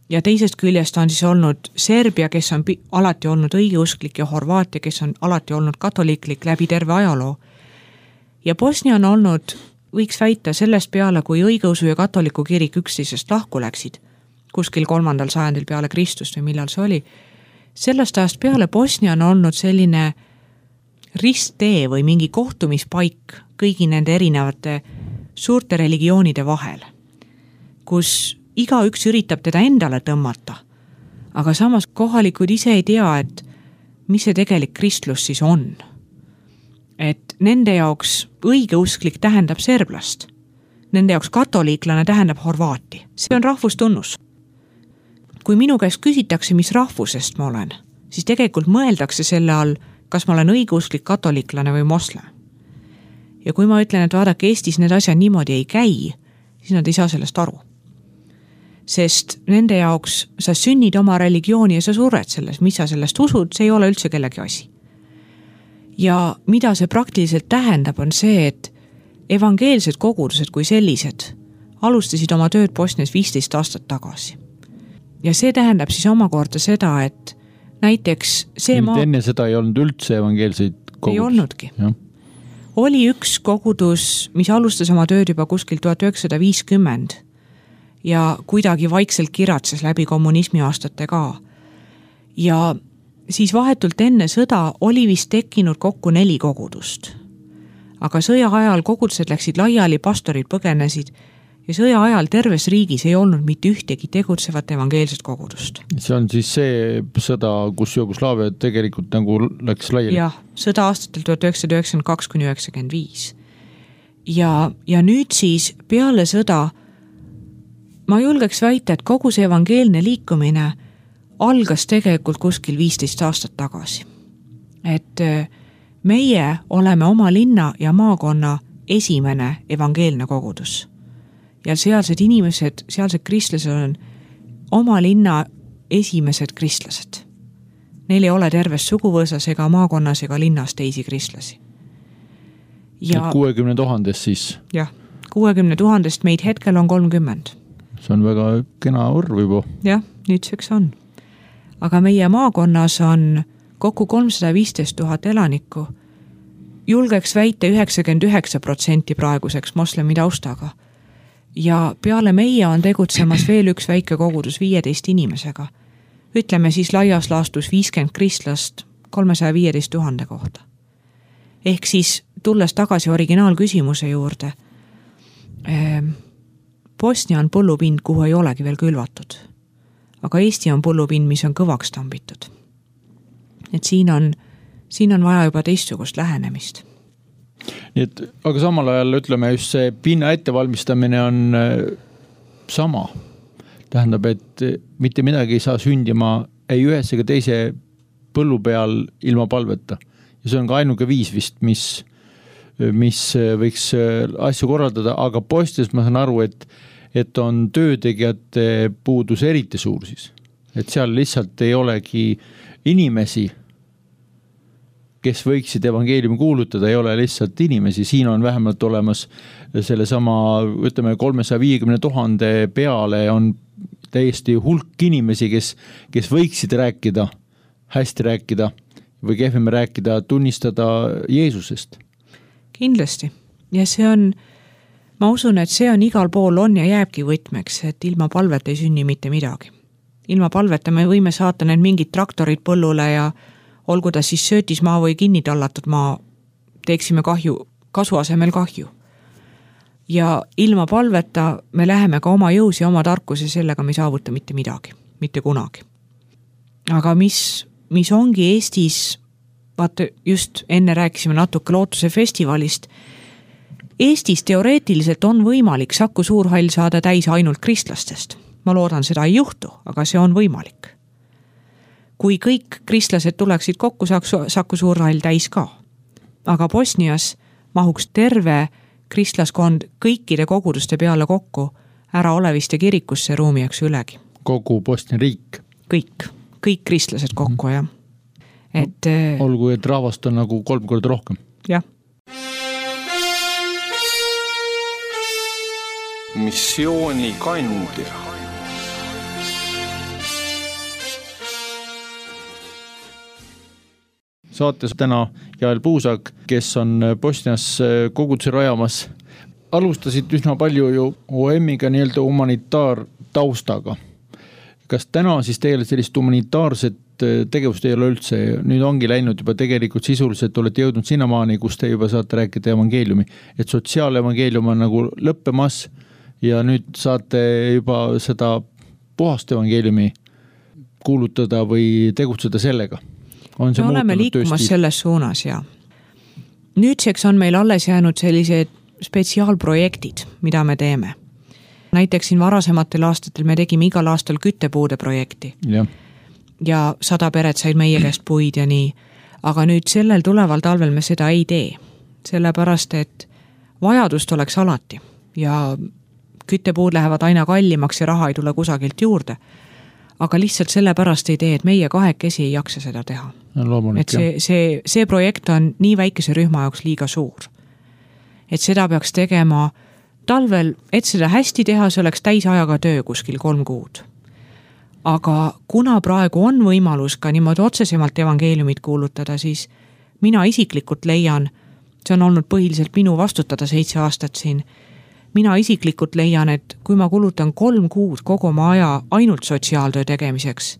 S3: ja teisest küljest on siis olnud Serbia, kes on alati olnud õigeusklik ja Horvaatia, kes on alati olnud katoliklik läbi terve ajaloo. Ja Bosnia on olnud, võiks väita sellest peale, kui õigeusu ja katoliku kirik üksteisest lahku läksid, kuskil kolmandal sajandil peale Kristust või millal see oli, sellest ajast peale Bosnia on olnud selline risttee või mingi kohtumispaik kõigi nende erinevate suurte religioonide vahel, kus igaüks üritab teda endale tõmmata, aga samas kohalikud ise ei tea, et mis see tegelik kristlus siis on. Et nende jaoks õigeusklik tähendab serblast, nende jaoks katoliiklane tähendab Horvaati. See on rahvustunnus. Kui minu käest küsitakse, mis rahvusest ma olen, siis tegelikult mõeldakse selle all, kas ma olen õigeusklik katoliiklane või moslem. Ja kui ma ütlen, et vaadake, Eestis need asjad niimoodi ei käi, siis nad ei saa sellest aru. Sest nende jaoks sa sünnid oma religiooni ja sa sured selles, mis sa sellest usud, see ei ole üldse kellegi asi. Ja mida see praktiliselt tähendab, on see, et evangeelsed kogudused kui sellised alustasid oma tööd Bosnias viisteist aastat tagasi. Ja see tähendab siis omakorda seda, et näiteks see maa...
S2: Enne seda ei olnud üldse evangeelseid kogudus.
S3: Ei olnudki.
S2: Ja.
S3: Oli üks kogudus, mis alustas oma tööd juba kuskil tuhat üheksasada viiskümmend ja kuidagi vaikselt kiratses läbi kommunismi aastate ka. Ja siis vahetult enne sõda oli vist tekkinud kokku neli kogudust. Aga sõja ajal kogudused läksid laiali, pastorid põgenesid ja sõja ajal terves riigis ei olnud mitte ühtegi tegutsevat evangeelset kogudust.
S2: See on siis see sõda, kus Jugoslaavia tegelikult nagu läks laiali?
S3: Jah, sõda aastatel tuhat üheksasada üheksakümmend kaks kuni üheksakümmend viis. Ja, ja nüüd siis peale sõda ma julgeks väita, et kogu see evangeelne liikumine algas tegelikult kuskil viisteist aastat tagasi. Et meie oleme oma linna ja maakonna esimene evangeelne kogudus. Ja sealsed inimesed, sealsed kristlased on oma linna esimesed kristlased. Neil ei ole terves suguvõsas ega maakonnas ega linnas teisi kristlasi.
S2: Ja kuuekümne tuhandest siis?
S3: Jah, kuuekümne tuhandest meid hetkel on kolmkümmend.
S2: See on väga kena arv juba.
S3: Jah, nüüdseks on. Aga meie maakonnas on kokku kolmsada viisteist tuhat elanikku. Julgeks väita üheksakümmend üheksa protsenti praeguseks moslemi taustaga. Ja peale meie on tegutsemas veel üks väike kogudus viieteist inimesega. Ütleme siis laias laastus viiskümmend kristlast kolmesaja viieteist tuhande kohta. Ehk siis tulles tagasi originaalküsimuse juurde, Bosnia on põllupind, kuhu ei olegi veel külvatud. Aga Eesti on põllupind, mis on kõvaks tambitud. Et siin on, siin on vaja juba teistsugust lähenemist.
S2: Nii et, aga samal ajal ütleme just see pinna ettevalmistamine on sama. Tähendab, et mitte midagi ei saa sündima ei ühes ega teise põllu peal ilma palveta. Ja see on ka ainuke viis vist, mis, mis võiks asju korraldada, aga Bosnias ma saan aru, et, et on töötegijate puudus eriti suur siis. Et seal lihtsalt ei olegi inimesi, kes võiksid evangeeliumi kuulutada, ei ole lihtsalt inimesi. Siin on vähemalt olemas selle sama, ütleme, kolmesaja viiekümne tuhande peale on täiesti hulk inimesi, kes, kes võiksid rääkida, hästi rääkida või kehvem rääkida, tunnistada Jeesusest.
S3: Kindlasti. Ja see on, ma usun, et see on igal pool on ja jääbki võtmeks, et ilma palvet ei sünni mitte midagi. Ilma palveta me võime saata need mingid traktorid põllule ja olgu ta siis söötismaa või kinnitallatud maa, teeksime kahju, kasu asemel kahju. Ja ilma palveta me läheme ka oma jõus ja oma tarkuse sellega me ei saavuta mitte midagi, mitte kunagi. Aga mis, mis ongi Eestis, vaata just enne rääkisime natuke lootuse festivalist, Eestis teoreetiliselt on võimalik Saku Suurhall saada täis ainult kristlastest. Ma loodan, seda ei juhtu, aga see on võimalik. Kui kõik kristlased tuleksid kokku, saaks Saku Suurhall täis ka. Aga Bosnias mahuks terve kristlaskond kõikide koguduste peale kokku ära oleviste kirikusse ruumiaks ülegi.
S2: Kogu Bosnia riik?
S3: Kõik, kõik kristlased kokku, jah. Et,
S2: olgu, et rahvast on nagu kolm korda rohkem.
S3: Jah.
S1: Missioonikandja.
S2: Saates täna Jael Puusak, kes on Bosnias koguduse rajamas. Alustasid üsna palju ju O M-iga nii-öelda humanitaartaustaga. Kas täna siis teile sellist humanitaarset tegevust ei ole üldse? Nüüd ongi läinud juba tegelikult sisuliselt, olete jõudnud sinnamaani, kus te juba saate rääkida evangeeliumi. Et sotsiaalevangeelium on nagu lõppemas ja nüüd saate juba seda puhast evangeeliumi kuulutada või tegutseda sellega. On see
S3: me oleme liikumas tööstis? Selles suunas, ja. Nüüdseks on meil alles jäänud sellised spetsiaalprojektid, mida me teeme. Näiteks siin varasematel aastatel me tegime igal aastal küttepuude projekti. Ja, ja sada peret said meie käest puid ja nii. Aga nüüd sellel tuleval talvel me seda ei tee. Sellepärast, et vajadust oleks alati. Ja küttepuud lähevad aina kallimaks ja raha ei tule kusagilt juurde. Aga lihtsalt sellepärast ei tee, et meie kahekesi ei jaksa seda teha.
S2: Loomulik,
S3: et see, see, see projekt on nii väikese rühma jaoks liiga suur. Et seda peaks tegema talvel, et seda hästi teha, see oleks täisajaga töö kuskil kolm kuud. Aga kuna praegu on võimalus ka niimoodi otsesemalt evangeeliumit kuulutada, siis mina isiklikult leian, see on olnud põhiliselt minu vastutada seitse aastat siin, mina isiklikult leian, et kui ma kulutan kolm kuud kogu oma aja ainult sotsiaaltöö tegemiseks,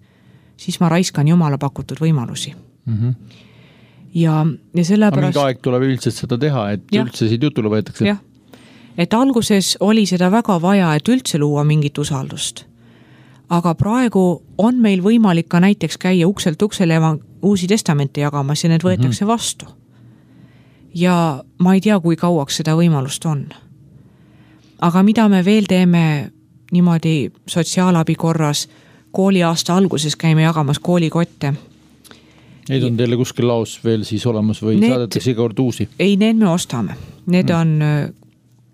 S3: siis ma raiskan Jumala pakutud võimalusi. Mm-hmm. Ja, ja sellepärast...
S2: Aga mingi aeg tuleb üldiselt seda teha, et ja. Üldse siit jutule võetakse.
S3: Jah. Et alguses oli seda väga vaja, et üldse luua mingit usaldust. Aga praegu on meil võimalik ka näiteks käia ukselt uksele uusi testamente jagamas ja need võetakse mm-hmm. vastu. Ja ma ei tea, kui kauaks seda võimalust on. Aga mida me veel teeme niimoodi sotsiaalabi korras, kooli aasta alguses käime jagamas koolikotte.
S2: Neid on teile kuskil laos veel siis olemas või need, saadetakse iga kord uusi?
S3: Ei, need me ostame. Need mm. on,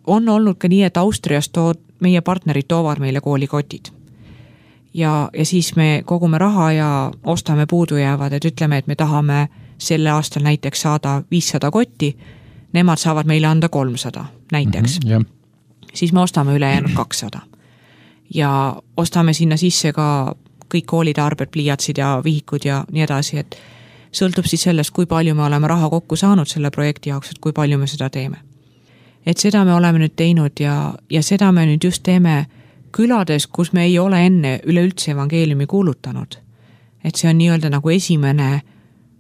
S3: on olnud ka nii, et Austrias tood, meie partnerid toovad meile koolikotid. Ja, ja siis me kogume raha ja ostame puudu jäävad, et ütleme, et me tahame selle aastal näiteks saada viissada kotti, nemad saavad meile anda kolmsada näiteks. Mm-hmm, yeah. Siis me ostame ülejäänud kakssada. Ja ostame sinna sisse ka kõik koolide arbed, pliiatsid ja vihikud ja nii edasi, et sõltub siis sellest, kui palju me oleme raha kokku saanud selle projekti jaoks, et kui palju me seda teeme. Et seda me oleme nüüd teinud ja, ja seda me nüüd just teeme külades, kus me ei ole enne üleüldse evangeeliumi kuulutanud. Et see on nii-öelda nagu esimene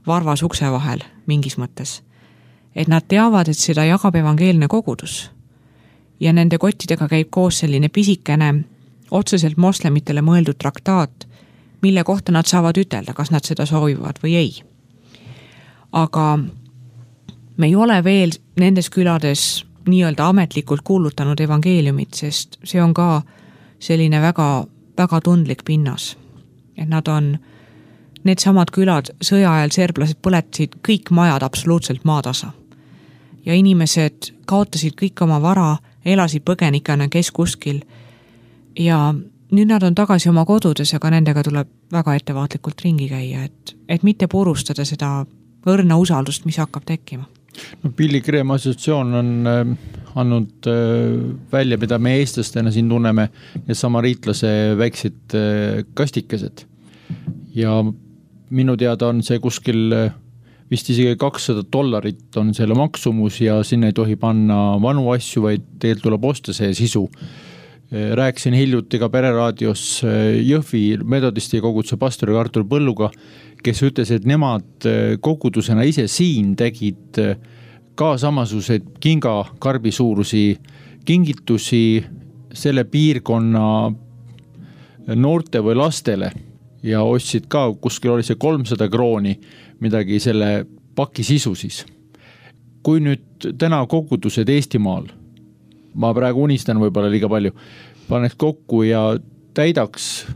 S3: varvas ukse vahel mingis mõttes. Et nad teavad, et seda jagab evangeelne kogudus. Ja nende kottidega käib koos selline pisikene, otseselt moslemitele mõeldud traktaat, mille kohta nad saavad ütelda, kas nad seda soovivad või ei. Aga me ei ole veel nendes külades nii-öelda ametlikult kuulutanud evangeeliumit, sest see on ka selline väga, väga tundlik pinnas. Et nad on, need samad külad, sõja ajal serblased põletasid kõik majad absoluutselt maatasa. Ja inimesed kaotasid kõik oma vara, elasid põgenikana kes kuskil. Ja nüüd nad on tagasi oma kodudes, aga nendega tuleb väga ettevaatlikult ringi käia, et, et mitte purustada seda õrna usaldust, mis hakkab tekkima.
S2: No, Pilligrim assotsiatsioon on äh, andnud äh, välja, mida me eestlastena siin tunneme, ja samariitlase väiksid äh, kastikesed. Ja minu teada on see kuskil äh, vist isegi kakssada dollarit on selle maksumus ja sinna ei tohi panna vanu asju, vaid teilt tuleb osta see sisu. Rääkisin hiljuti ka pereraadios Jõhvi metodisti koguduse pastori Artur Põlluga, kes ütles, et nemad kogudusena ise siin tegid ka samasuguseid kingakarbi suurusi kingitusi selle piirkonna noorte või lastele ja ostsid ka, kuskil oli see kolmsada krooni midagi selle paki sisu siis. kui nüüd täna kogudused Eestimaal, ma praegu unistan võib-olla liiga palju, paneks kokku ja täidaks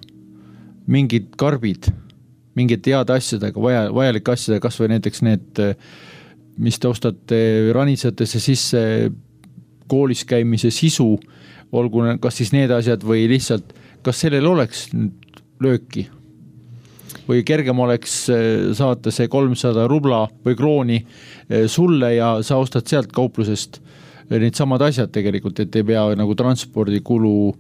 S2: mingid karbid, mingid head asjadega, vaja, vajalike asjadega, kas või näiteks need, mis te ostate ranitsatesse sisse, koolis käimise sisu, olgu kas siis need asjad või lihtsalt, kas sellel oleks lööki? Või kergem oleks saata see kolmsada rubla või krooni sulle ja sa ostad sealt kauplusest need samad asjad tegelikult, et ei pea nagu transpordikulu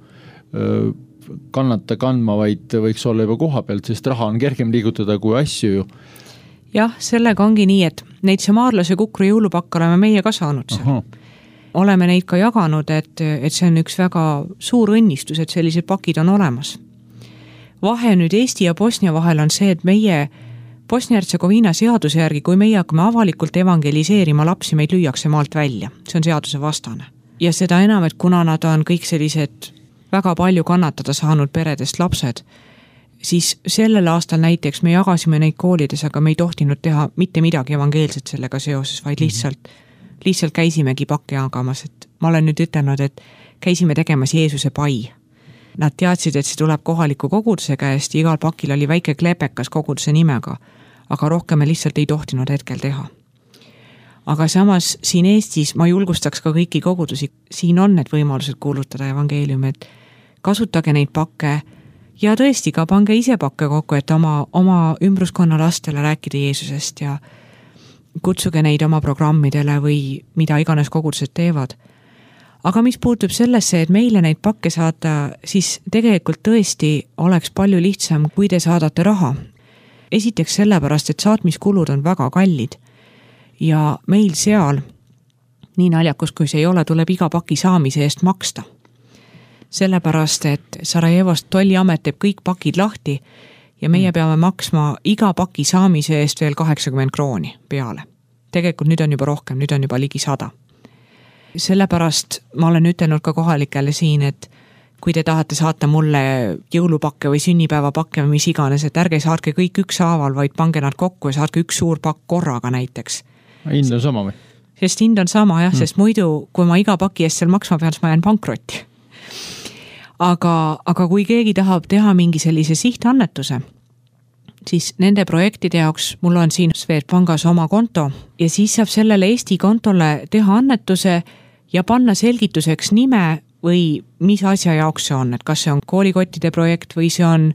S2: kannata kandma, vaid võiks olla juba koha pealt, sest raha on kergem liigutada kui asju ju.
S3: Jah, sellega ongi nii, et neid Samaarlase kukru jõulupakka oleme meie ka saanud seal. Oleme neid ka jaganud, et, et see on üks väga suur õnnistus, et sellised pakid on olemas. Vahe nüüd Eesti ja Bosnia vahel on see, et meie Bosnia-Hertsegoviina seaduse järgi, kui meie hakkame avalikult evangeliseerima lapsi, meid lüüakse maalt välja. See on seaduse vastane. Ja seda enam, et kuna nad on kõik sellised väga palju kannatada saanud peredest lapsed, siis sellel aastal näiteks me jagasime neid koolides, aga me ei tohtinud teha mitte midagi evangeelset sellega seoses, vaid lihtsalt, lihtsalt käisimegi pakke jagamas. Et ma olen nüüd ütelnud, et käisime tegemas Jeesuse pai. Nad teadsid, et see tuleb kohaliku koguduse käest, igal pakil oli väike klepekas koguduse nimega, aga rohkem me lihtsalt ei tohtinud hetkel teha. Aga samas siin Eestis ma julgustaks ka kõiki kogudusi, siin on need võimalused kuulutada evangeeliumi, et kasutage neid pakke ja tõesti ka pange ise pakke kokku, et oma, oma ümbruskonna lastele rääkida Jeesusest ja kutsuge neid oma programmidele või mida iganes kogudused teevad. Aga mis puutub sellesse, et meile neid pakke saada, siis tegelikult tõesti oleks palju lihtsam, kui te saadate raha. Esiteks sellepärast, et saatmiskulud on väga kallid ja meil seal, nii naljakus kui see ei ole, tuleb iga paki saamise eest maksta. Sellepärast, et Sarajevost tolliamet teeb kõik pakid lahti ja meie peame maksma iga paki saamise eest veel kaheksakümmend krooni peale. Tegelikult nüüd on juba rohkem, nüüd on juba ligi sada. Sellepärast ma olen ütelnud ka kohalikele siin, et kui te tahate saata mulle jõulupakke või sünnipäevapakke või mis iganes, et ärge saatke kõik üks haaval, vaid pange nad kokku ja saatke üks suur pakk korraga näiteks.
S2: Hind on sama või?
S3: Sest hind on sama jah, mm. sest muidu, kui ma iga paki eest seal maksma pean, siis ma jään pankrotti. Aga, aga kui keegi tahab teha mingi sellise sihtannetuse, siis nende projektide jaoks mul on siin Swedbankis oma konto ja siis saab sellele Eesti kontole teha annetuse ja panna selgituseks nime või mis asja jaoks see on, et kas see on koolikottide projekt või see on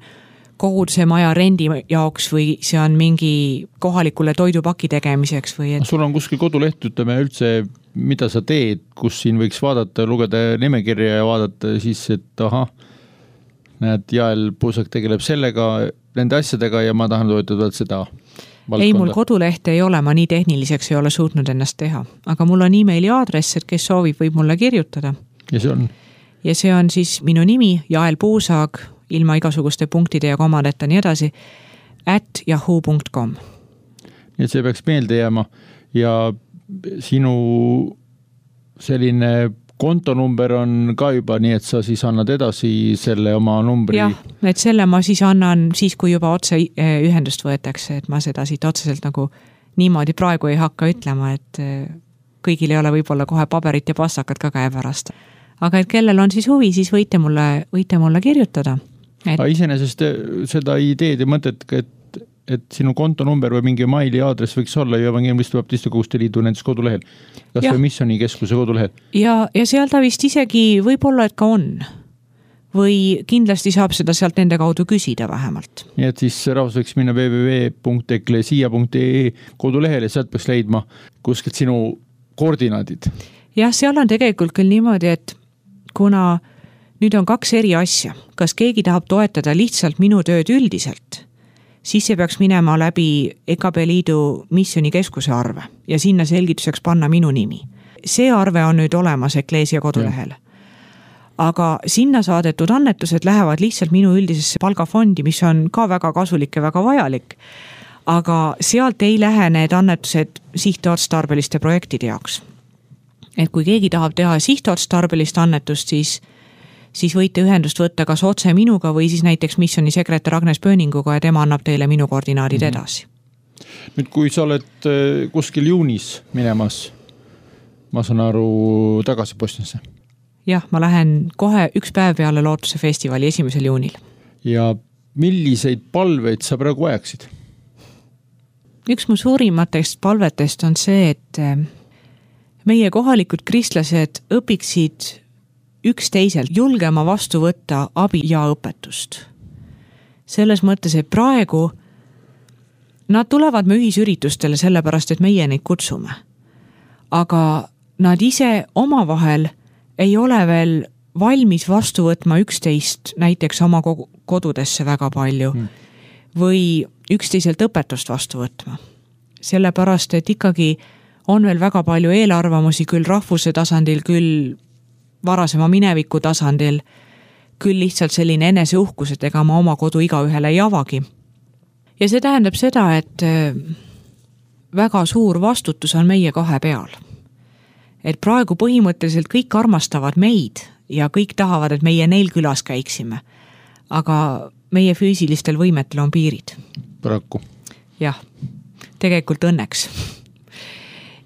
S3: koguduse maja rendi jaoks või see on mingi kohalikule toidupaki tegemiseks või et...
S2: Sul on kuskil koduleht, ütleme üldse, mida sa teed, kus siin võiks vaadata, lugeda nimekirja ja vaadata siis, et aha, näed, Jael Puusak tegeleb sellega, nende asjadega ja ma tahan toetada seda valdkonda.
S3: Ei, mul kodulehte ei ole, ma nii tehniliseks ei ole suutnud ennast teha, aga mul on emaili aadress, et kes soovib, võib mulle kirjutada.
S2: Ja see on?
S3: Ja see on siis minu nimi, Jael Puusak, ilma igasuguste punktide ja komadeta nii edasi, at yahoo punkt com.
S2: Nii et see peaks meelde jääma ja sinu selline kontonumber on ka juba nii, et sa siis annad edasi selle oma numbri.
S3: Jah, et selle ma siis annan siis, kui juba otse ühendust võetakse, et ma seda siit otseselt nagu niimoodi praegu ei hakka ütlema, et kõigil ei ole võib-olla kohe paberit ja pastakad ka käe pärast. Aga et kellel on siis huvi, siis võite mulle, võite mulle kirjutada. Et...
S2: Iseenesest seda ideed ja mõtet, et, et sinu kontonumber või mingi maili aadress võiks olla ju Evangeeliste Baptiste Koguduste Liidu nendes kodulehel. Kas ja. Või Missioni keskuse kodulehel?
S3: Ja, ja seal ta vist isegi võib-olla, et ka on. Või kindlasti saab seda sealt nende kaudu küsida vähemalt.
S2: Nii et siis rahvas võiks minna w w w punkt eklesia punkt e e kodulehel ja sealt peaks leidma kuskilt sinu koordinaadid.
S3: Jah, seal on tegelikult küll niimoodi, et kuna nüüd on kaks eri asja, kas keegi tahab toetada lihtsalt minu tööd üldiselt, siis see peaks minema läbi E K B Liidu Missioni keskuse arve ja sinna selgituseks panna minu nimi. See arve on nüüd olemas Ekleesia kodulehel. Aga sinna saadetud annetused lähevad lihtsalt minu üldisesse palgafondi, mis on ka väga kasulik ja väga vajalik. Aga sealt ei lähe need annetused sihtotstarbeliste projektide jaoks. Et kui keegi tahab teha sihtotstarbelist annetust, siis, siis võite ühendust võtta kas otse minuga või siis näiteks Missioni sekretär Agnes Pööninguga ja tema annab teile minu koordinaadid edasi.
S2: Nüüd, kui sa oled kuskil juunis minemas ma saan aru, tagasi Bosniasse.
S3: Jah, ma lähen kohe üks päev peale Lootuse festivali esimesel juunil.
S2: Ja milliseid palveid sa praegu vajaksid?
S3: Üks mu suurimatest palvetest on see, et meie kohalikud kristlased õpiksid üksteiselt julgema vastu võtta abi ja õpetust. Selles mõttes, et praegu nad tulevad me ühisüritustele sellepärast, et meie neid kutsume. Aga nad ise omavahel ei ole veel valmis vastu võtma üksteist näiteks oma kodudesse väga palju hmm. või üksteiselt õpetust vastu võtma. Sellepärast, et ikkagi on veel väga palju eelarvamusi küll rahvuse tasandil, küll varasema mineviku tasandil, küll lihtsalt selline eneseuhkus, et ega ma oma kodu iga ühele ei avagi. Ja see tähendab seda, et väga suur vastutus on meie kahe peal. Et praegu põhimõtteliselt kõik armastavad meid ja kõik tahavad, et meie neil külas käiksime. Aga meie füüsilistel võimetel on piirid.
S2: Paraku.
S3: Jah, tegelikult õnneks.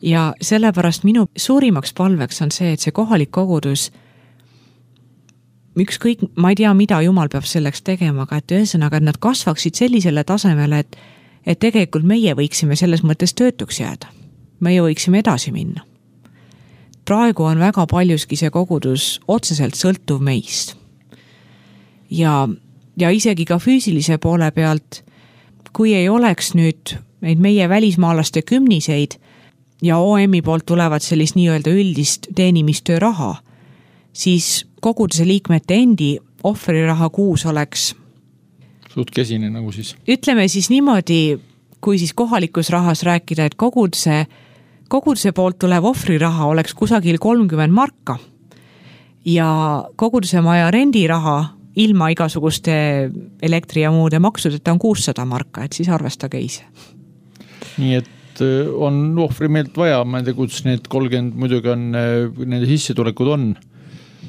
S3: Ja sellepärast minu suurimaks palveks on see, et see kohalik kogudus, ükskõik, ma ei tea, mida Jumal peab selleks tegema, aga et ühesõnaga, et nad kasvaksid sellisele tasemele, et, et tegelikult meie võiksime selles mõttes töötuks jääda. Meie võiksime edasi minna. Praegu on väga paljuski see kogudus otseselt sõltuv meist. Ja, ja isegi ka füüsilise poole pealt, kui ei oleks nüüd neid meie välismaalaste kümniseid ja O M-i poolt tulevad sellist nii-öelda üldist teenimistöö raha, siis koguduse liikmete endi ohvriraha kuus oleks
S2: suht kesine nagu siis.
S3: Ütleme siis niimoodi, kui siis kohalikus rahas rääkida, et koguduse Koguduse poolt tulev ohvriraha oleks kusagil kolmkümmend marka ja koguduse maja rendiraha ilma igasuguste elektri ja muude maksudeta on kuussada marka, et siis arvestage ise.
S2: Nii et on ohvrimeelt vaja, ma ei tea, kuidas need kolmkümmend muidugi on, nende sissetulekud on.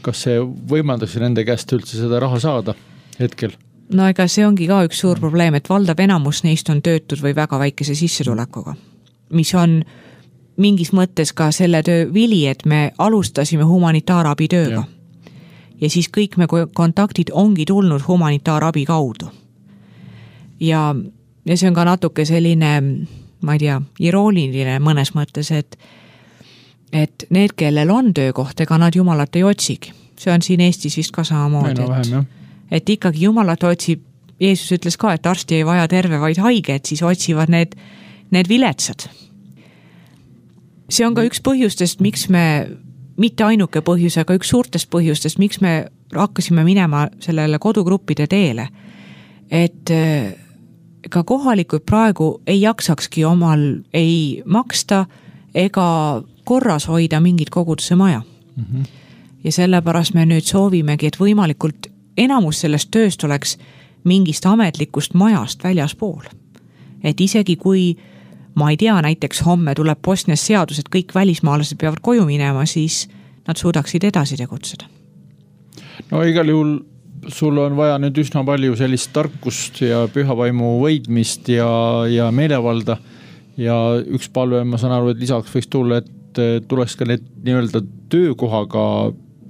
S2: Kas see võimaldaks nende käest üldse seda raha saada hetkel?
S3: No ega see ongi ka üks suur probleem, et valdav enamus neist on töötud või väga väikese sissetulekuga, mis on mingis mõttes ka selle töö vili, et me alustasime humanitaarabi tööga. Ja, ja siis kõik me kontaktid ongi tulnud humanitaarabi kaudu. Ja, ja see on ka natuke selline, ma ei tea, irooniline mõnes mõttes, et, et need, kellel on töökoht, ega nad Jumalat ei otsigi. See on siin Eestis vist ka samamoodi.
S2: No, vähem,
S3: et, et ikkagi Jumalat otsib, Jeesus ütles ka, et arsti ei vaja terve, vaid haige, et siis otsivad need, need viletsad. See on ka üks põhjustest, miks me, mitte ainuke põhjus, aga üks suurtest põhjustest, miks me hakkasime minema sellele kodugruppide teele. Et ka kohalikud praegu ei jaksakski omal ei maksta ega korras hoida mingit koguduse maja. Mm-hmm. Ja sellepärast me nüüd soovimegi, et võimalikult enamus sellest tööst oleks mingist ametlikust majast väljaspool. Et isegi kui ma ei tea, näiteks homme tuleb Bosnias seadus, et kõik välismaalased peavad koju minema, siis nad suudaksid edasi tegutseda.
S2: No igal juhul sul on vaja nüüd üsna palju sellist tarkust ja pühavaimu võidmist ja, ja meelevalda. Ja üks palve, ma saan aru, et lisaks võiks tulla, et tuleks ka need nii-öelda töökohaga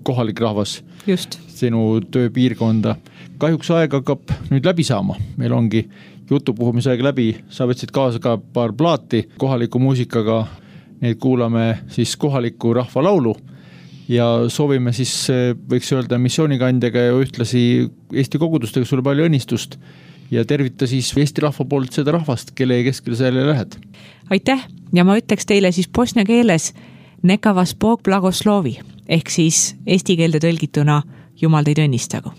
S2: kohalik rahvas.
S3: Just.
S2: Sinu tööpiirkonda. Kahjuks aeg hakkab nüüd läbi saama. Meil ongi jutupuhumise aeg läbi, sa võtsid kaasa ka paar plaati kohaliku muusikaga, neid kuulame siis kohaliku rahvalaulu ja soovime siis, võiks öelda, missioonikandjaga ja ühtlasi Eesti kogudustega sulle palju õnnistust ja tervita siis Eesti rahva poolt seda rahvast, kelle keskel sa jälle lähed.
S3: Aitäh ja ma ütleks teile siis bosnia keeles nekavas Bog blagoslovi ehk siis eesti keelde tõlgituna Jumal teid õnnistagu.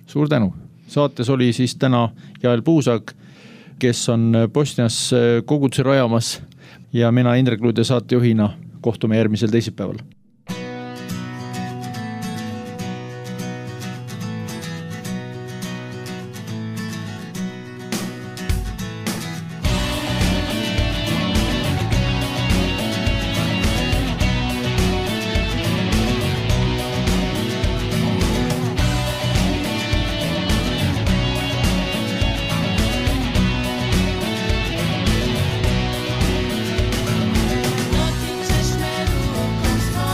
S2: Suur tänu. Saates oli siis täna Jael Puusak, kes on Bosnias koguduse rajamas ja mina Indrek Luud ja saatejuhina kohtume järgmisel teisipäeval.
S4: Dotyčeš me rukom svojom.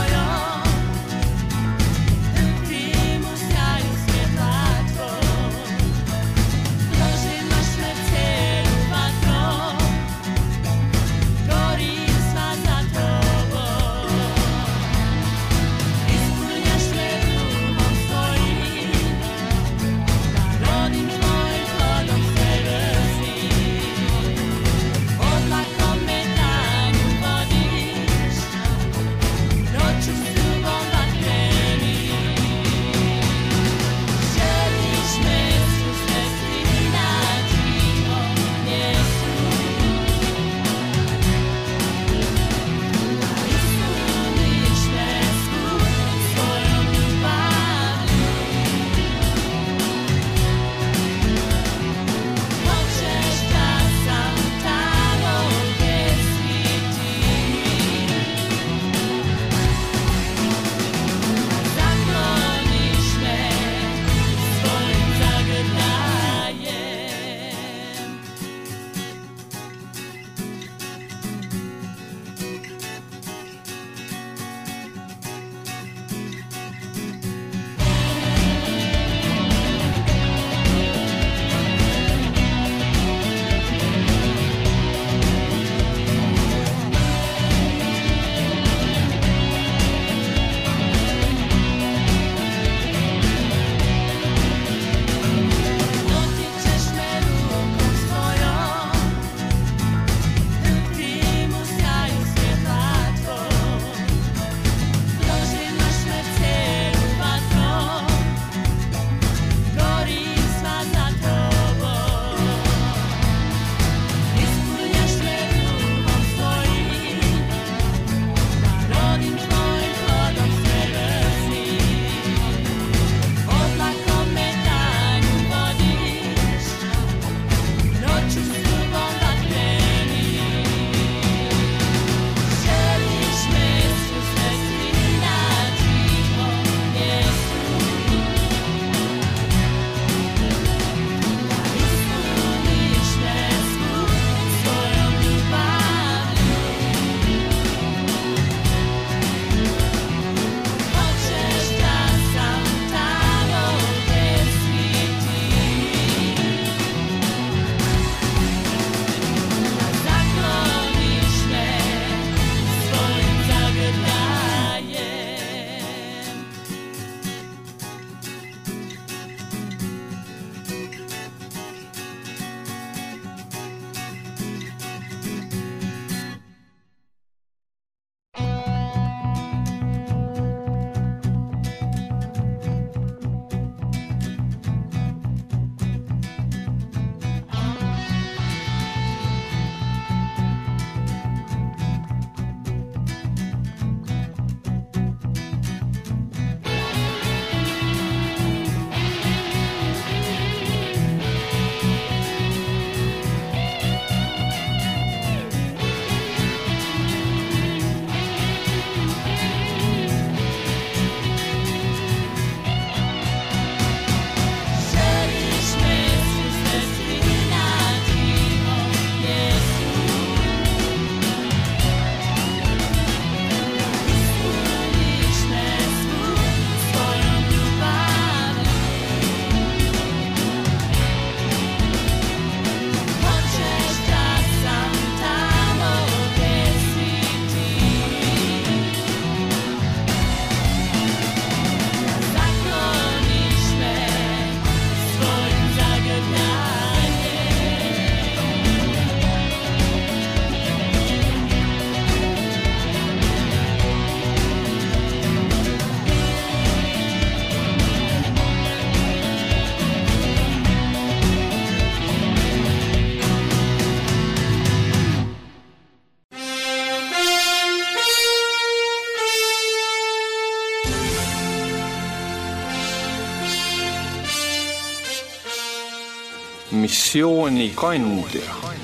S1: missioonikandja.